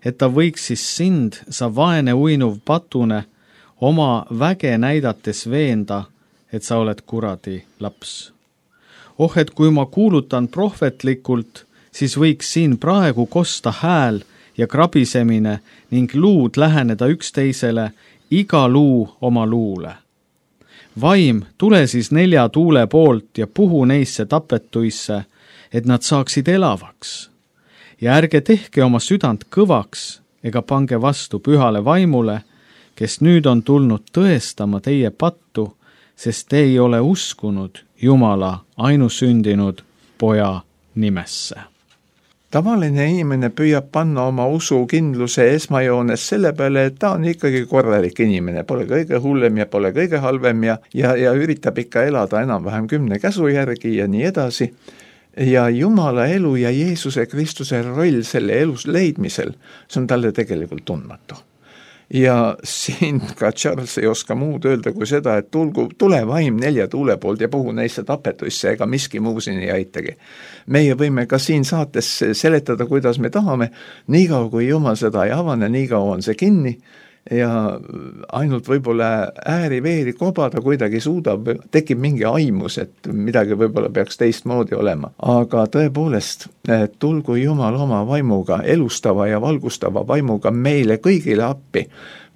et ta võiks siis sind, sa vaene uinuv patune, oma väge näidates veenda, et sa oled kuradi laps. Et kui ma kuulutan prohvetlikult, siis võiks siin praegu kosta hääl ja krabisemine ning luud läheneda üksteisele, iga luu oma luule. Vaim, tule siis 4 tuule poolt ja puhu neisse tapetuisse, et nad saaksid elavaks. Ja ärge tehke oma südant kõvaks ega pange vastu pühale vaimule, kes nüüd on tulnud tõestama teie pattu, sest te ei ole uskunud Jumala ainusündinud poja nimesse. Tavaline inimene püüab panna oma usukindluse esmajoones selle peale, et ta on ikkagi korralik inimene, pole kõige hullem ja pole kõige halvem ja üritab ikka elada enam-vähem 10 käsu järgi ja nii edasi. Ja Jumala elu ja Jeesuse Kristuse roll selle elus leidmisel, see on talle tegelikult tundmatu. Ja siin ka Charles ei oska muud öelda kui seda, et tule vaim 4 tuule poolt ja puhu neisse tapetuisse, ega miski muu siin ei aitagi. Meie võime ka siin saates seletada, kuidas me tahame, niikaua kui Jumal seda ei avane, niikaua on see kinni ja ainult võib-olla ääri-veeri kobada kuidagi suudab, tekib mingi aimus, et midagi võib-olla peaks teistmoodi olema. Aga tõepoolest, tulgu Jumal oma vaimuga, elustava ja valgustava vaimuga meile kõigile appi,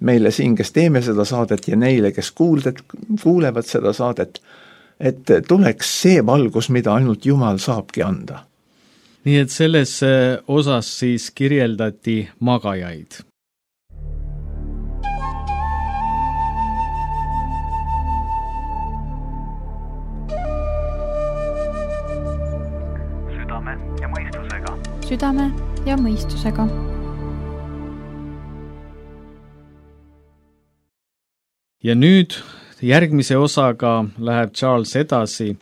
meile siin, kes teeme seda saadet ja neile, kes kuulevad seda saadet, et tuleks see valgus, mida ainult Jumal saabki anda. nii et selles osas siis kirjeldati magajaid. Südame ja mõistusega. Südame ja mõistusega. Ja nüüd järgmise osaga läheb Charles edasi,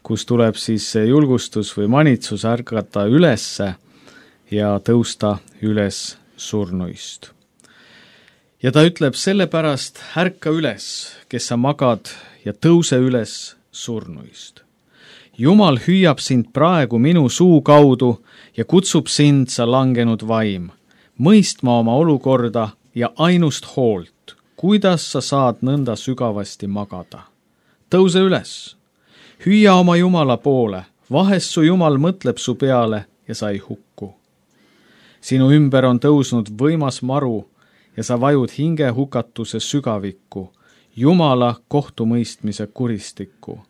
kus tuleb siis julgustus või manitsus ärgata ülesse ja tõusta üles surnuist. Ja ta ütleb sellepärast, ärka üles, kes sa magad, ja tõuse üles surnuist. Jumal hüüab sind praegu minu suu kaudu ja kutsub sind, sa langenud vaim, mõistma oma olukorda ja ainust hoolt, kuidas sa saad nõnda sügavasti magada. Tõuse üles, hüüa oma Jumala poole, vahest su Jumal mõtleb su peale ja sa ei hukku. Sinu ümber on tõusnud võimas maru ja sa vajud hinge hukatuse sügavikku, Jumala kohtumõistmise kuristikku.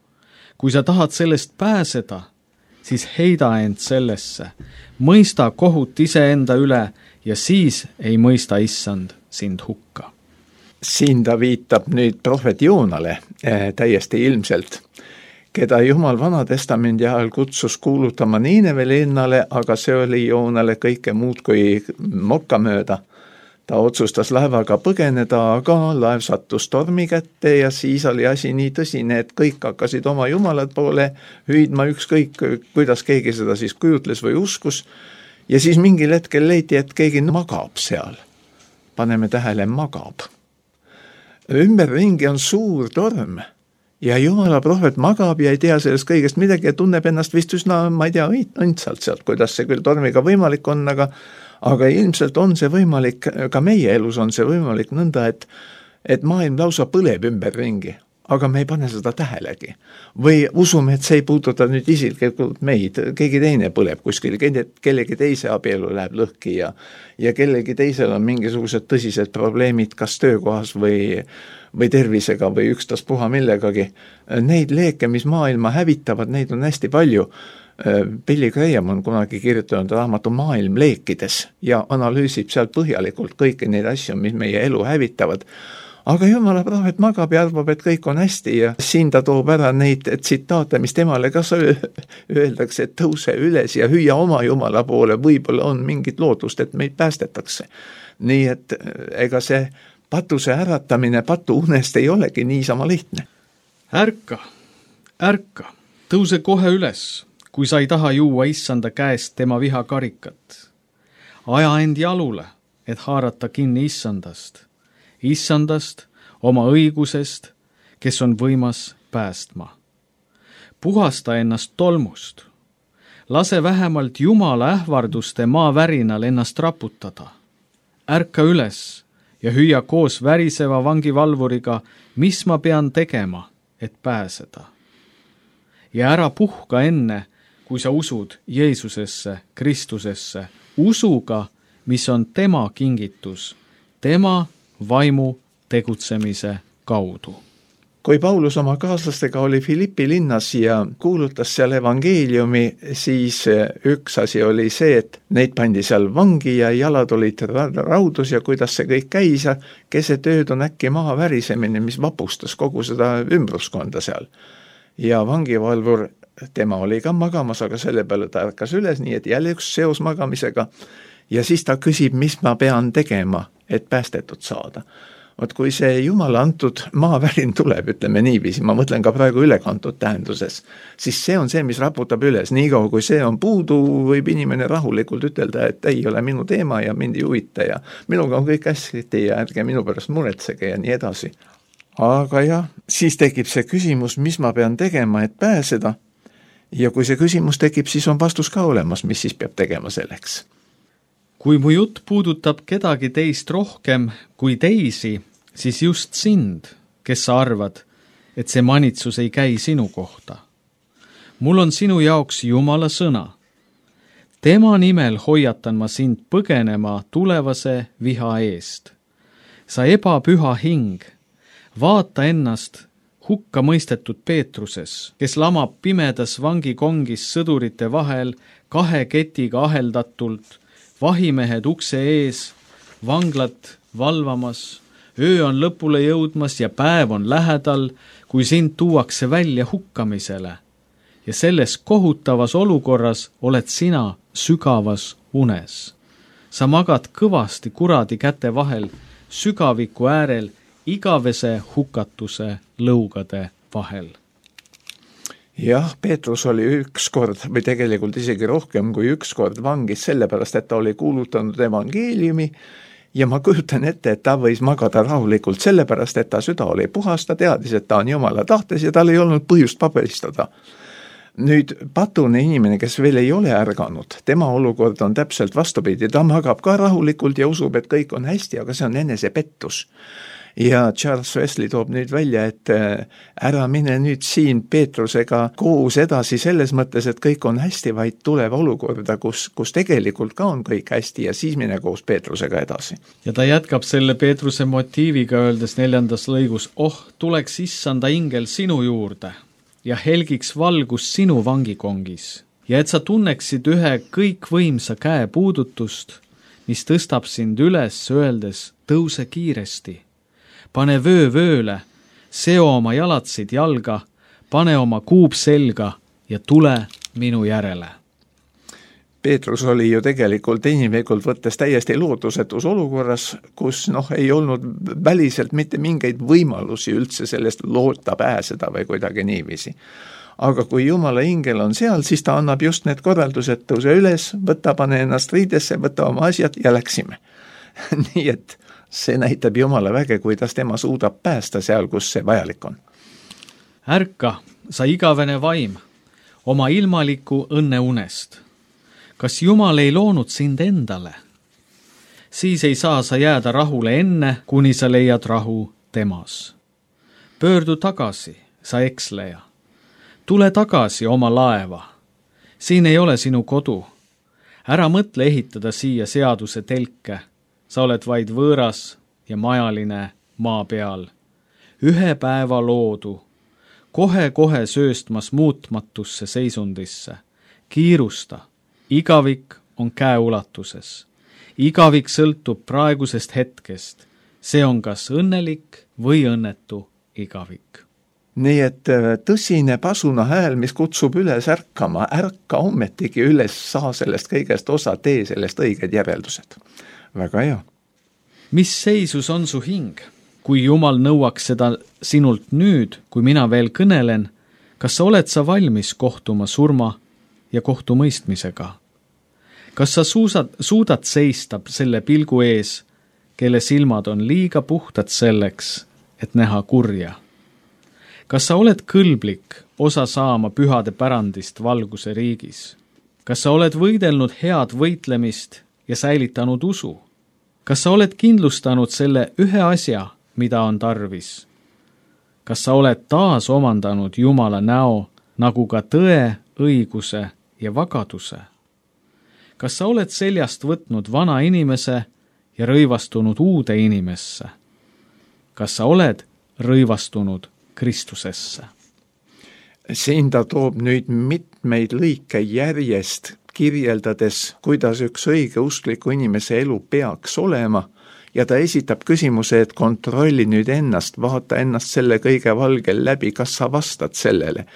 Kui sa tahad sellest pääseda, siis heida end sellesse, mõista kohut iseenda üle ja siis ei mõista issand sind hukka. Siin ta viitab nüüd prohvet Joonale täiesti ilmselt, keda Jumal Vanatestamendi ajal kutsus kuulutama Niineve linnale, aga see oli Joonale kõike muud kui mokkamööda. Ta otsustas laevaga põgeneda, aga laev sattus tormi kätte ja siis oli asi nii tõsine, et kõik hakkasid oma Jumalad poole hüüdma ükskõik, kuidas keegi seda siis kujutles või uskus. Ja siis mingil hetkel leiti, et keegi magab seal. Paneme tähele, magab. Ümberringi on suur torm ja Jumala prohvet magab ja ei tea sellest kõigest midagi ja tunneb ennast vist üsna, ma ei tea, õndsalt sealt, kuidas see küll tormiga võimalik on, aga ilmselt on see võimalik, ka meie elus on see võimalik nõnda, et maailm lausa põleb ümberringi, aga me ei pane seda tähelegi. Või usume, et see ei puuduta nüüd isiklikult meid, keegi teine põleb kuskil, kellegi teise abielu läheb lõhki ja kellegi teisel on mingisugused tõsised probleemid kas töökohas või tervisega või ükstaspuha millegagi. Neid leeke, mis maailma hävitavad, neid on hästi palju. Billy Graham on kunagi kirjutanud raamatu Maailm leekides ja analüüsib sealt põhjalikult kõiki neid asju, mis meie elu hävitavad. Aga Jumala prohvet magab ja arvab, et kõik on hästi ja siin ta toob ära neid tsitaate, mis temale kas öeldakse, et tõuse üles ja hüüa oma Jumala poole, võib-olla on mingit lootust, et meid päästetakse. Nii et ega see patuse äratamine patu unest ei olegi niisama lihtne. Ärka, tõuse kohe üles, kui sa ei taha juua issanda käest tema vihakarikat. Aja end jalule, et haarata kinni issandast, oma õigusest, kes on võimas päästma. Puhasta ennast tolmust. Lase vähemalt Jumala ähvarduste maavärinal ennast raputada. Ärka üles ja hüüa koos väriseva vangivalvuriga, mis ma pean tegema, et pääseda. Ja ära puhka enne, kui sa usud Jeesusesse, Kristusesse, usuga, mis on tema kingitus, tema vaimu tegutsemise kaudu. Kui Paulus oma kaaslastega oli Filippi linnas ja kuulutas seal evangeeliumi, siis üks asi oli see, et neid pandi seal vangi ja jalad olid raudus ja kuidas see kõik käis ja keset ööd on äkki maha värisemine, mis vapustas kogu seda ümbruskonda seal. Ja vangivalvur, tema oli ka magamas, aga selle peale ta ärkas üles, nii et jälle üks seos magamisega. Ja siis ta küsib, mis ma pean tegema, et päästetud saada. Vot kui see Jumala antud maavärin tuleb, ütleme niiviisi, ma mõtlen ka praegu ülekantud tähenduses, siis see on see, mis raputab üles. Niikaua kui see on puudu, võib inimene rahulikult ütelda, et ei ole minu teema ja mind ei huvita ja minuga on kõik hästi ja ärge minu pärast muretsege ja nii edasi. Aga jah, siis tekib see küsimus, mis ma pean tegema, et pääseda. Ja kui see küsimus tekib, siis on vastus ka olemas, mis siis peab tegema selleks. Kui mu jutt puudutab kedagi teist rohkem kui teisi, siis just sind, kes sa arvad, et see manitsus ei käi sinu kohta. Mul on sinu jaoks Jumala sõna. Tema nimel hoiatan ma sind põgenema tulevase viha eest. Sa ebapüha hing, vaata ennast hukka mõistetud Peetruses, kes lamab pimedas vangikongis sõdurite vahel 2 ketiga aheldatult, vahimehed ukse ees, vanglat valvamas, öö on lõpule jõudmas ja päev on lähedal, kui sind tuuakse välja hukkamisele. Ja selles kohutavas olukorras oled sina sügavas unes. Sa magad kõvasti kuradi käte vahel, sügaviku äärel, igavese hukatuse lõugade vahel. Jah, Peetrus oli ükskord või tegelikult isegi rohkem kui ükskord vangis sellepärast, et ta oli kuulutanud evangeeliumi ja ma kujutan ette, et ta võis magada rahulikult sellepärast, et ta süda oli puhas, ta teadis, et ta on Jumala tahtes ja tal ei olnud põhjust paberistada. Nüüd patune inimene, kes veel ei ole ärganud, tema olukord on täpselt vastupidi, ta magab ka rahulikult ja usub, et kõik on hästi, aga see on enesepettus. Ja Charles Wesley toob nüüd välja, et ära mine nüüd siin Peetrusega koos edasi selles mõttes, et kõik on hästi, vaid tuleb olukorda, kus tegelikult ka on kõik hästi ja siis mine koos Peetrusega edasi. Ja ta jätkab selle Peetruse motiiviga öeldes 4. lõigus, tuleks issanda ingel sinu juurde ja helgiks valgus sinu vangikongis ja et sa tunneksid ühe kõikvõimsa käe puudutust, mis tõstab sind üles öeldes, tõuse kiiresti. Pane vööle, seo oma jalatsid jalga, pane oma kuub selga ja tule minu järele. Peetrus oli ju tegelikult inimlikult võttes täiesti lootusetus olukorras, kus ei olnud väliselt mitte mingeid võimalusi üldse sellest loota pääseda või kuidagi niiviisi. Aga kui Jumala ingel on seal, siis ta annab just need korraldused, tõuse üles, võta, pane ennast riidesse, võta oma asjad ja läksime. Nii et see näitab Jumala väge, kuidas tema suudab päästa seal, kus see vajalik on. Ärka, sa igavene vaim, oma ilmaliku õnne unest. Kas Jumal ei loonud sind endale? Siis ei saa sa jääda rahule enne, kuni sa leiad rahu temas. Pöördu tagasi, sa eksleja. Tule tagasi oma laeva. Siin ei ole sinu kodu. Ära mõtle ehitada siia seaduse telke. Sa oled vaid võõras ja majaline maa peal. Ühe päeva loodu, kohe sööstmas muutmatusse seisundisse. Kiirusta, igavik on käeulatuses. Igavik sõltub praegusest hetkest. See on kas õnnelik või õnnetu igavik. Nii et tõsine pasuna hääl, mis kutsub üles ärkama, ärka ommetigi üles, saa sellest kõigest osa, tee sellest õiged järeldused. Väga hea. Mis seisus on su hing? Kui Jumal nõuaks seda sinult nüüd, kui mina veel kõnelen, kas sa oled valmis kohtuma surma ja kohtumõistmisega? Kas sa suudad seista selle pilgu ees, kelle silmad on liiga puhtad selleks, et näha kurja? Kas sa oled kõlblik osa saama pühade pärandist valguse riigis? Kas sa oled võidelnud head võitlemist ja säilitanud usu? Kas sa oled kindlustanud selle ühe asja, mida on tarvis? Kas sa oled taas omandanud Jumala näo, nagu ka tõe, õiguse ja vagaduse? Kas sa oled seljast võtnud vana inimese ja rõivastunud uude inimesse? Kas sa oled rõivastunud Kristusesse? Siin ta toob nüüd mitmeid lõike järjest, kirjeldades, kuidas üks õige uskliku inimese elu peaks olema ja ta esitab küsimuse, et kontrolli nüüd ennast, vaata ennast selle kõige valgel läbi, kas sa vastad sellele.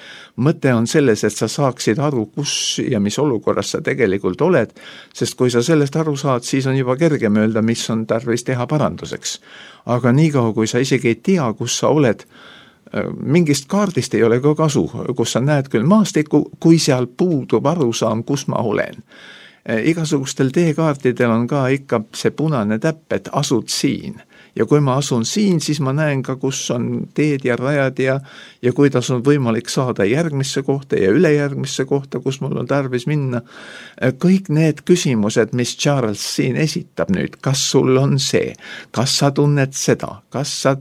Mõte on selles, et sa saaksid aru, kus ja mis olukorras sa tegelikult oled, sest kui sa sellest aru saad, siis on juba kergem öelda, mis on tarvis teha paranduseks. Aga niikaua, kui sa isegi ei tea, kus sa oled, mingist kaardist ei ole ka kasu, kus sa näed küll maastikku, kui seal puudub arusaam, kus ma olen. Igasugustel teekaartidel on ka ikka see punane täpp, et asud siin. Ja kui ma asun siin, siis ma näen ka, kus on teed ja rajad ja kuidas on võimalik saada järgmisse kohta ja ülejärgmisse kohta, kus mul on tarvis minna. Kõik need küsimused, mis Charles siin esitab nüüd, kas sul on see, kas sa tunned seda, kas sa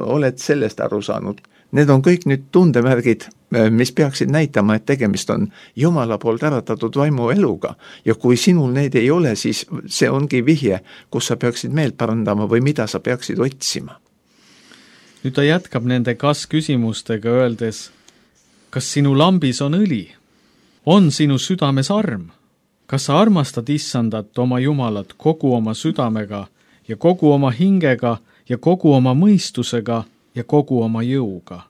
oled sellest aru saanud, need on kõik nüüd tundemärgid, mis peaksid näitama, et tegemist on Jumala poolt äratatud vaimu eluga ja kui sinul neid ei ole, siis see ongi vihje, kus sa peaksid meelt parandama või mida sa peaksid otsima. nüüd ta jätkab nende kas-küsimustega, öeldes, kas sinu lambis on õli? On sinu südames arm? Kas sa armastad Issandat oma Jumalat kogu oma südamega ja kogu oma hingega ja kogu oma mõistusega ja kogu oma jõuga?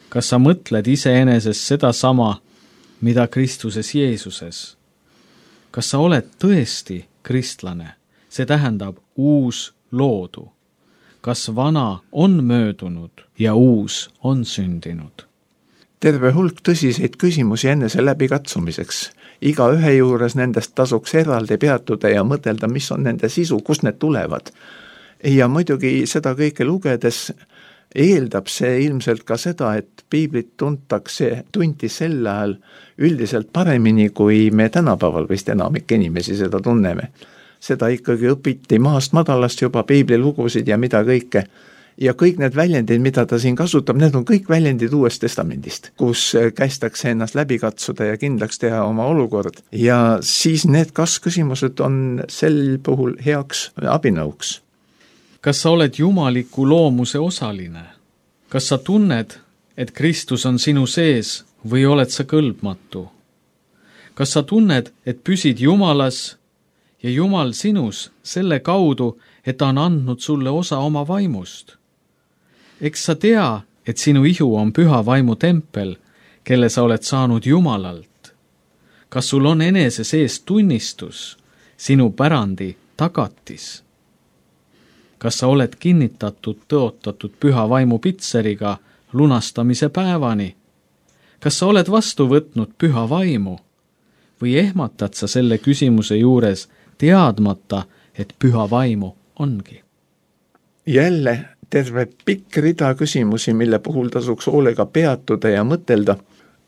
Kas sa mõtled iseenesest seda sama, mida Kristuses Jeesuses? Kas sa oled tõesti kristlane? See tähendab uus loodu. Kas vana on möödunud ja uus on sündinud? Terve hulk tõsiseid küsimusi enese läbikatsumiseks. Iga ühe juures nendest tasuks eraldi peatuda ja mõtelda, mis on nende sisu, kust need tulevad. Ja muidugi seda kõike lugedes eeldab see ilmselt ka seda, et piiblit tunti sel ajal üldiselt paremini, kui me tänapäeval vist enamik inimesi seda tunneme. Seda ikkagi õpiti maast madalast juba piiblilugusid ja mida kõike. Ja kõik need väljendid, mida ta siin kasutab, need on kõik väljendid Uuest Testamendist, kus kästakse ennast läbi katsuda ja kindlaks teha oma olukord. Ja siis need kas-küsimused on sel puhul heaks abinõuks. Kas sa oled jumaliku loomuse osaline? Kas sa tunned, et Kristus on sinu sees või oled sa kõlbmatu? Kas sa tunned, et püsid Jumalas ja Jumal sinus selle kaudu, et ta on andnud sulle osa oma vaimust? Eks sa tea, et sinu ihu on püha vaimu tempel, kelle sa oled saanud Jumalalt. Kas sul on enese sees tunnistus, sinu pärandi tagatis? Kas sa oled kinnitatud, tõotatud püha vaimu pitseriga lunastamise päevani? Kas sa oled vastu võtnud püha vaimu? Või ehmatad sa selle küsimuse juures teadmata, et püha vaimu ongi? Jälle terve pikk rida küsimusi, mille puhul tasuks hoolega peatuda ja mõtelda.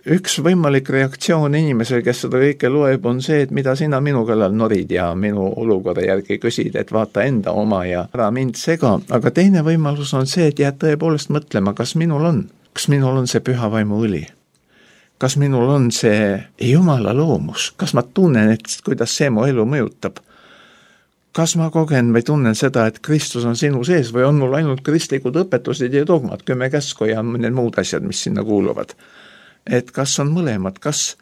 Üks võimalik reaktsioon inimesel, kes seda kõike loeb, on see, et mida sina minu kallal norid ja minu olukorra järgi küsid, et vaata enda oma ja ära mind sega. Aga teine võimalus on see, et jääd tõepoolest mõtlema, kas minul on see püha vaimu õli? Kas minul on see Jumala loomus? Kas ma tunnen, et kuidas see mu elu mõjutab? Kas ma kogen või tunnen seda, et Kristus on sinu sees või on mul ainult kristlikud õpetused ja dogmad, 10 käsku ja need muud asjad, mis sinna kuuluvad? Et kas on mõlemad, kas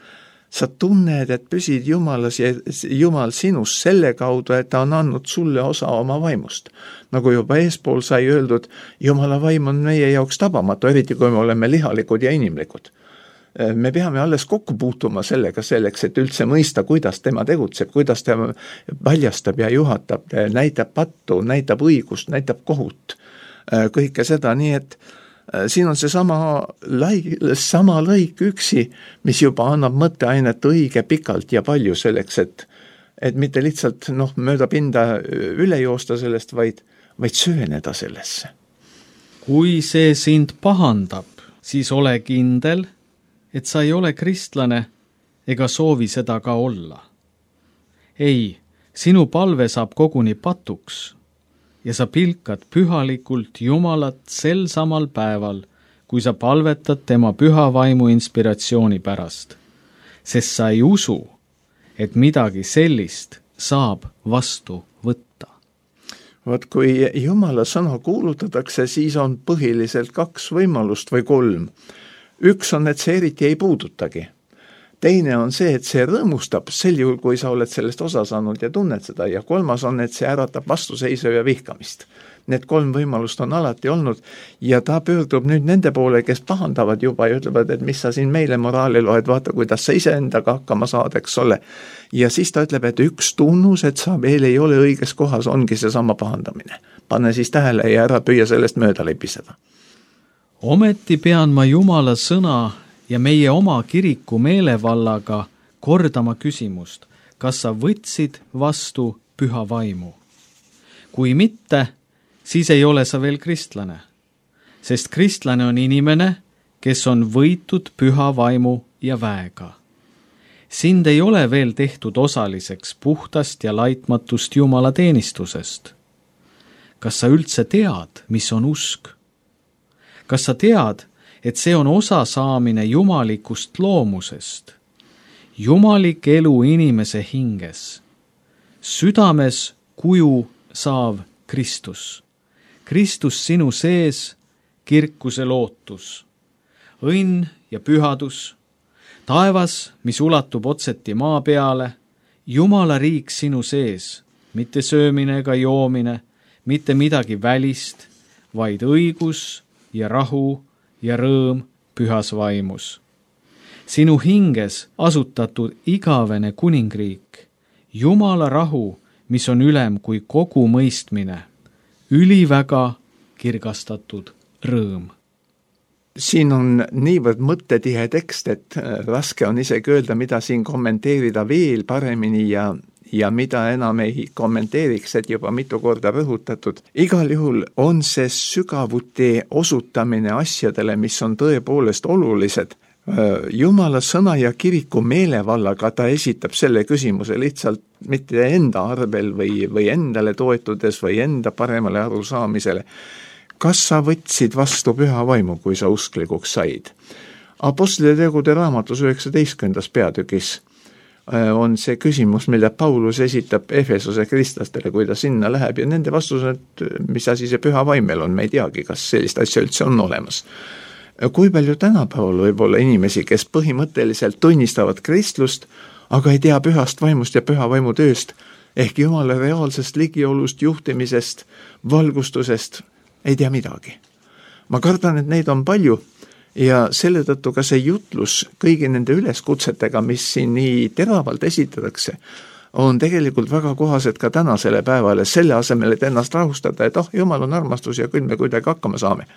sa tunned, et püsid Jumalas ja Jumal sinus selle kaudu, et ta on andnud sulle osa oma vaimust. Nagu juba eespool sai öeldud, Jumala vaim on meie jaoks tabamatu, eriti kui me oleme lihalikud ja inimlikud. Me peame alles kokku puutuma sellega selleks, et üldse mõista, kuidas tema tegutseb, kuidas ta paljastab ja juhatab, näitab pattu, näitab õigust, näitab kohut. Kõike seda, nii et siin on see sama lõik üksi, mis juba annab mõtteainet õige pikalt ja palju selleks, et mitte lihtsalt mööda pinda üle joosta sellest, vaid sööneda sellesse. Kui see sind pahandab, siis ole kindel, et sa ei ole kristlane ega soovi seda ka olla. Ei, sinu palve saab koguni patuks ja sa pilkad pühalikult Jumalat sel samal päeval, kui sa palvetad tema püha vaimu inspiratsiooni pärast, sest sa ei usu, et midagi sellist saab vastu võtta. Vaat kui Jumala sõna kuulutatakse, siis on põhiliselt 2 võimalust või 3. Üks on, et see eriti ei puudutagi. Teine on see, et see rõõmustab sel juhul, kui sa oled sellest osa saanud ja tunned seda. Ja 3. on, et see äratab vastuseisu ja vihkamist. Need 3 võimalust on alati olnud ja ta pöördub nüüd nende poole, kes pahandavad juba ja ütlevad, et mis sa siin meile moraali loed, vaata, kuidas sa iseendaga hakkama saad, eks ole. Ja siis ta ütleb, et üks tunnus, et sa veel ei ole õiges kohas, ongi see sama pahandamine. Pane siis tähele ja ära püüa sellest mööda lepiseda. Ometi pean ma Jumala sõna ja meie oma kiriku meelevallaga kordama küsimust, kas sa võtsid vastu püha vaimu. Kui mitte, siis ei ole sa veel kristlane, sest kristlane on inimene, kes on võitud püha vaimu ja väega. Sind ei ole veel tehtud osaliseks puhtast ja laitmatust Jumala teenistusest. Kas sa üldse tead, mis on usk? Kas sa tead, et see on osa saamine jumalikust loomusest? Jumalik elu inimese hinges. Südames kuju saav Kristus. Kristus sinu sees kirkuse lootus, õnn ja pühadus, taevas, mis ulatub otseti maa peale, Jumala riik sinu sees, mitte söömine ega joomine, mitte midagi välist, vaid õigus ja rahu ja rõõm pühas vaimus. Sinu hinges asutatud igavene kuningriik, Jumala rahu, mis on ülem kui kogu mõistmine, üliväga kirgastatud rõõm. Siin on niivõrd mõttetihe tekst, et raske on isegi öelda, mida siin kommenteerida veel paremini ja mida enam ei kommenteeriks, et juba mitu korda rõhutatud. Igal juhul on see sügavuti osutamine asjadele, mis on tõepoolest olulised. Jumala sõna ja kiriku meelevallaga ta esitab selle küsimuse lihtsalt mitte enda arvel või endale toetudes või enda paremale arusaamisele. Kas sa võtsid vastu püha vaimu, kui sa usklikuks said? Apostlite tegude raamatus 19. peatükis on see küsimus, mille Paulus esitab Efesose kristlastele, kui ta sinna läheb, ja nende vastus on, et mis asi see püha vaimel on, me ei teagi, kas sellist asja üldse on olemas. Kui palju tänapäeval võib olla inimesi, kes põhimõtteliselt tunnistavad kristlust, aga ei tea pühast vaimust ja püha vaimu tööst, ehk Jumala reaalsest ligiolust, juhtimisest, valgustusest, ei tea midagi. Ma kardan, et neid on palju ja selle tõttu ka see jutlus kõigi nende üleskutsetega, mis siin nii teravalt esitatakse, on tegelikult väga kohased ka tänasele päevale, selle asemel, et ennast rahustada, et Jumal on armastus ja küll me kuidagi hakkama saame.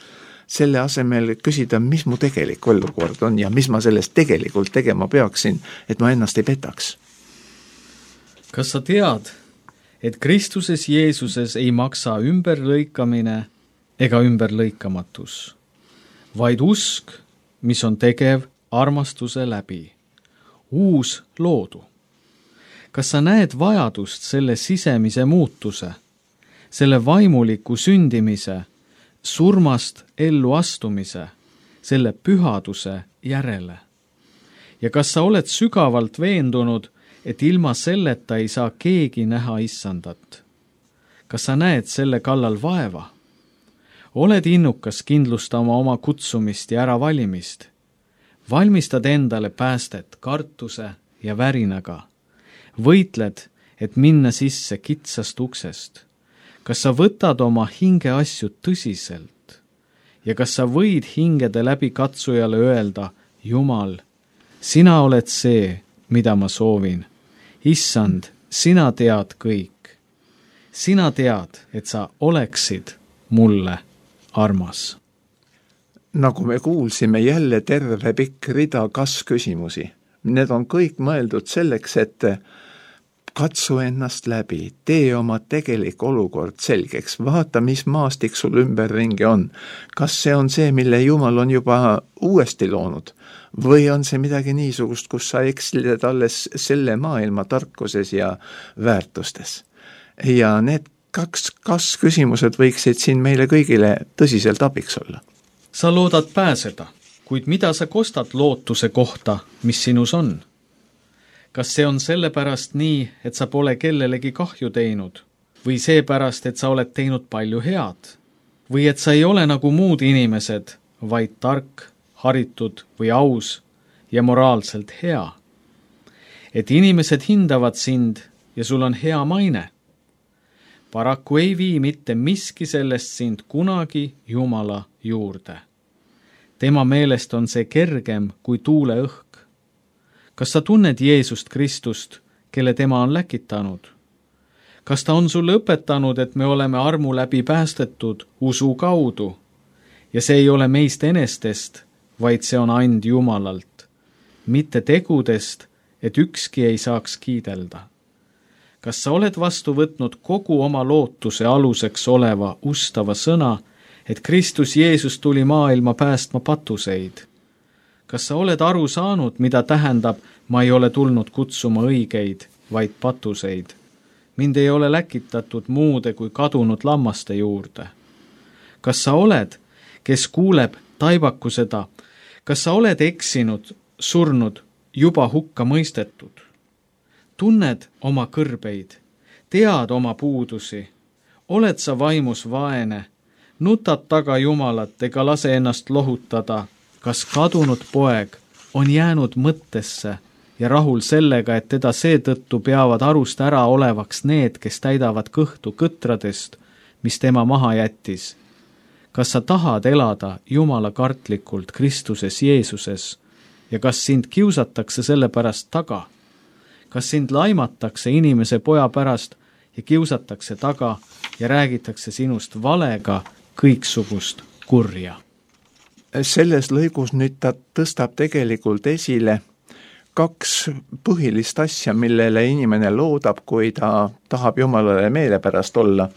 Selle asemel küsida, mis mu tegelik olukord on ja mis ma sellest tegelikult tegema peaksin, et ma ennast ei petaks. Kas sa tead, et Kristuses Jeesuses ei maksa ümberlõikamine ega ümberlõikamatus, vaid usk, mis on tegev armastuse läbi, uus loodu. Kas sa näed vajadust selle sisemise muutuse, selle vaimuliku sündimise, surmast ellu astumise, selle pühaduse järele? Ja kas sa oled sügavalt veendunud, et ilma selleta ei saa keegi näha issandat? Kas sa näed selle kallal vaeva? Oled innukas kindlustama oma kutsumist ja äravalimist? Valmistad endale päästet kartuse ja värinaga? Võitled, et minna sisse kitsast uksest? Kas sa võtad oma hinge asju tõsiselt? Ja kas sa võid hingede läbi katsujale öelda, Jumal, sina oled see, mida ma soovin. Issand, sina tead kõik. Sina tead, et sa oleksid mulle armas. Nagu me kuulsime, jälle terve pikk rida kas-küsimusi. Need on kõik mõeldud selleks, et katsu ennast läbi, tee oma tegelik olukord selgeks, vaata, mis maastik sul ümberringi on. Kas see on see, mille Jumal on juba uuesti loonud? Või on see midagi niisugust, kus sa eksled alles selle maailma tarkuses ja väärtustes? Ja need kas-küsimused võiksid siin meile kõigile tõsiselt abiks olla. Sa loodad pääseda, kuid mida sa kostad lootuse kohta, mis sinus on? Kas see on sellepärast nii, et sa pole kellelegi kahju teinud? Või seepärast, et sa oled teinud palju head? Või et sa ei ole nagu muud inimesed, vaid tark, haritud või aus ja moraalselt hea? Et inimesed hindavad sind ja sul on hea maine? Paraku ei vii mitte miski sellest sind kunagi Jumala juurde. Tema meelest on see kergem kui tuuleõhk. Kas sa tunned Jeesust Kristust, kelle tema on läkitanud? Kas ta on sulle õpetanud, et me oleme armu läbi päästetud usu kaudu? Ja see ei ole meist enestest, vaid see on and Jumalalt, mitte tegudest, et ükski ei saaks kiidelda. Kas sa oled vastu võtnud kogu oma lootuse aluseks oleva ustava sõna, et Kristus Jeesus tuli maailma päästma patuseid? Kas sa oled aru saanud, mida tähendab, ma ei ole tulnud kutsuma õigeid, vaid patuseid? Mind ei ole läkitatud muude kui kadunud lammaste juurde. Kas sa oled, kes kuuleb taibaku seda, kas sa oled eksinud, surnud, juba hukka mõistetud? Tunned oma kõrbeid, tead oma puudusi, oled sa vaimus vaene, nutad taga Jumalat ega lase ennast lohutada, kas kadunud poeg on jäänud mõttesse ja rahul sellega, et teda seetõttu peavad arust ära olevaks need, kes täidavad kõhtu kõtradest, mis tema maha jättis. Kas sa tahad elada Jumala kartlikult Kristuses Jeesuses ja kas sind kiusatakse selle pärast taga? Kas sind laimatakse inimese poja pärast ja kiusatakse taga ja räägitakse sinust valega kõiksugust kurja? Selles lõigus nüüd ta tõstab tegelikult esile 2 põhilist asja, millele inimene loodab, kui ta tahab Jumalale meelepärast olla.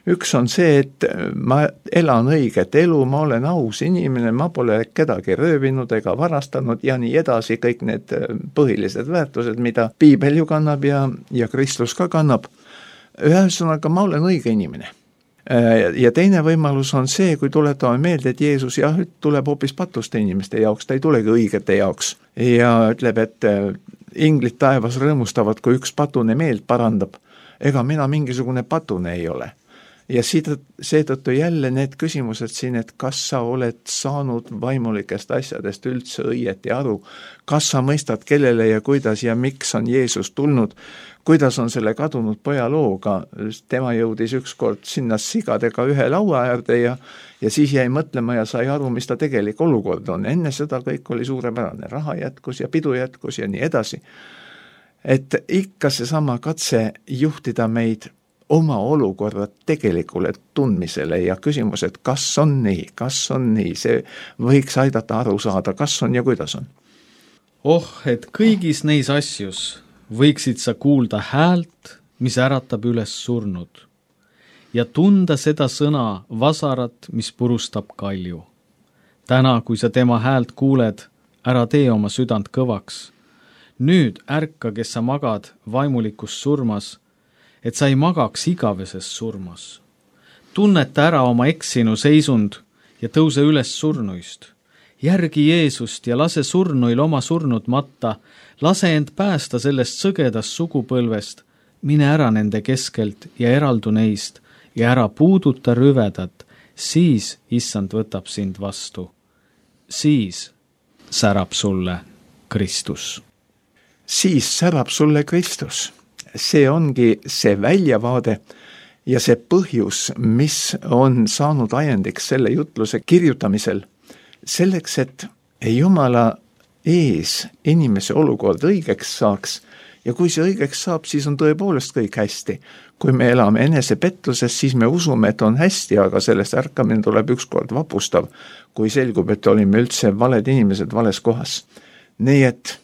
Üks on see, et ma elan õiget elu, ma olen aus inimene, ma pole kedagi röövinud ega varastanud ja nii edasi, kõik need põhilised väärtused, mida Piibel ju kannab ja Kristus ka kannab. Ühesõnaga, ma olen õige inimene. Ja teine võimalus on see, kui tuletame meelde, et Jeesus tuleb hoopis patuste inimeste jaoks, ta ei tulegi õigete jaoks. Ja ütleb, et inglid taevas rõõmustavad, kui üks patune meelt parandab. Ega mina mingisugune patune ei ole. Ja seetõttu jälle need küsimused siin, et kas sa oled saanud vaimulikest asjadest üldse õieti aru, kas sa mõistad, kellele ja kuidas ja miks on Jeesus tulnud, kuidas on selle kadunud poja looga, tema jõudis ükskord sinna sigadega ühe laua äärde ja siis jäi mõtlema ja sai aru, mis ta tegelik olukord on. Enne seda kõik oli suurepärane, raha jätkus ja pidu jätkus ja nii edasi. Et ikka seesama katse juhtida meid oma olukorra tegelikule tundmisele ja küsimus, et kas on nii, see võiks aidata aru saada, kas on ja kuidas on. Et kõigis neis asjus võiksid sa kuulda häält, mis äratab üles surnud ja tunda seda sõna vasarat, mis purustab kalju. Täna, kui sa tema häält kuuled, ära tee oma südant kõvaks. Nüüd ärka, kes sa magad vaimulikus surmas, et sa ei magaks igaveses surmas. Tunneta ära oma eksinu seisund ja tõuse üles surnuist. Järgi Jeesust ja lase surnuil oma surnud matta, lase end päästa sellest sõgedast sugupõlvest, mine ära nende keskelt ja eraldu neist ja ära puuduta rüvedat, siis Issand võtab sind vastu. Siis särab sulle Kristus. Siis särab sulle Kristus. See ongi see väljavaade ja see põhjus, mis on saanud ajendiks selle jutluse kirjutamisel, selleks, et Jumala ees inimese olukord õigeks saaks ja kui see õigeks saab, siis on tõepoolest kõik hästi. Kui me elame enesepettuses, siis me usume, et on hästi, aga sellest ärkamine tuleb ükskord vapustav, kui selgub, et olime üldse valed inimesed vales kohas. Nii et,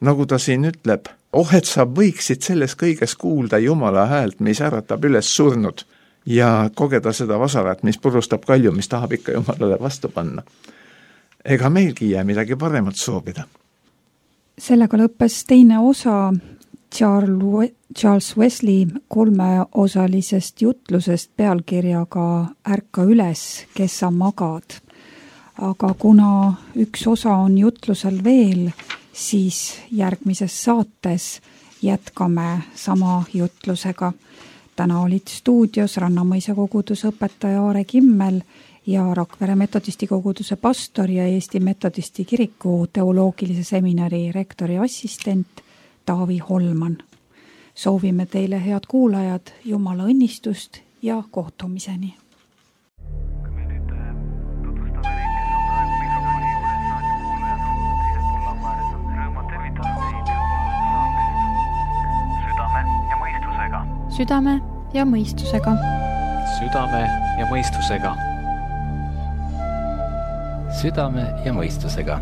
nagu ta siin ütleb, et sa võiksid selles kõiges kuulda Jumala häält, mis äratab üles surnud ja kogeda seda vasarat, mis purustab kalju, mis tahab ikka Jumalale vastu panna. Ega meilgi jää midagi paremat soovida. Sellega lõppes teine osa Charles Wesley 3-osalisest jutlusest pealkirjaga Ärka üles, kes sa magad. Aga kuna üks osa on jutlusel veel, siis järgmises saates jätkame sama jutlusega. Täna olid stuudios Rannamõisa koguduse õpetaja Aare Kimmel ja Rakvere metodisti koguduse pastor ja Eesti metodisti kiriku teoloogilise seminari rektori assistent Taavi Holman. Soovime teile head kuulajad, Jumala õnnistust ja kohtumiseni. Südame ja mõistusega. Südame ja mõistusega. Südame ja mõistusega.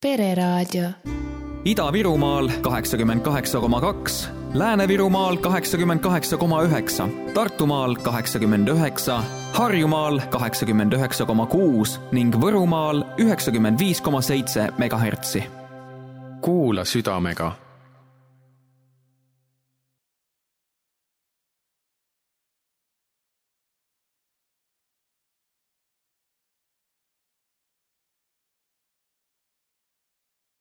Pereraadio. Ida-Virumaal 88,2, Lääne-Virumaal 88,9, Tartumaal 89, Harjumaal 89,6 ning Võrumaal 95,7 MHz. Kuula südamega.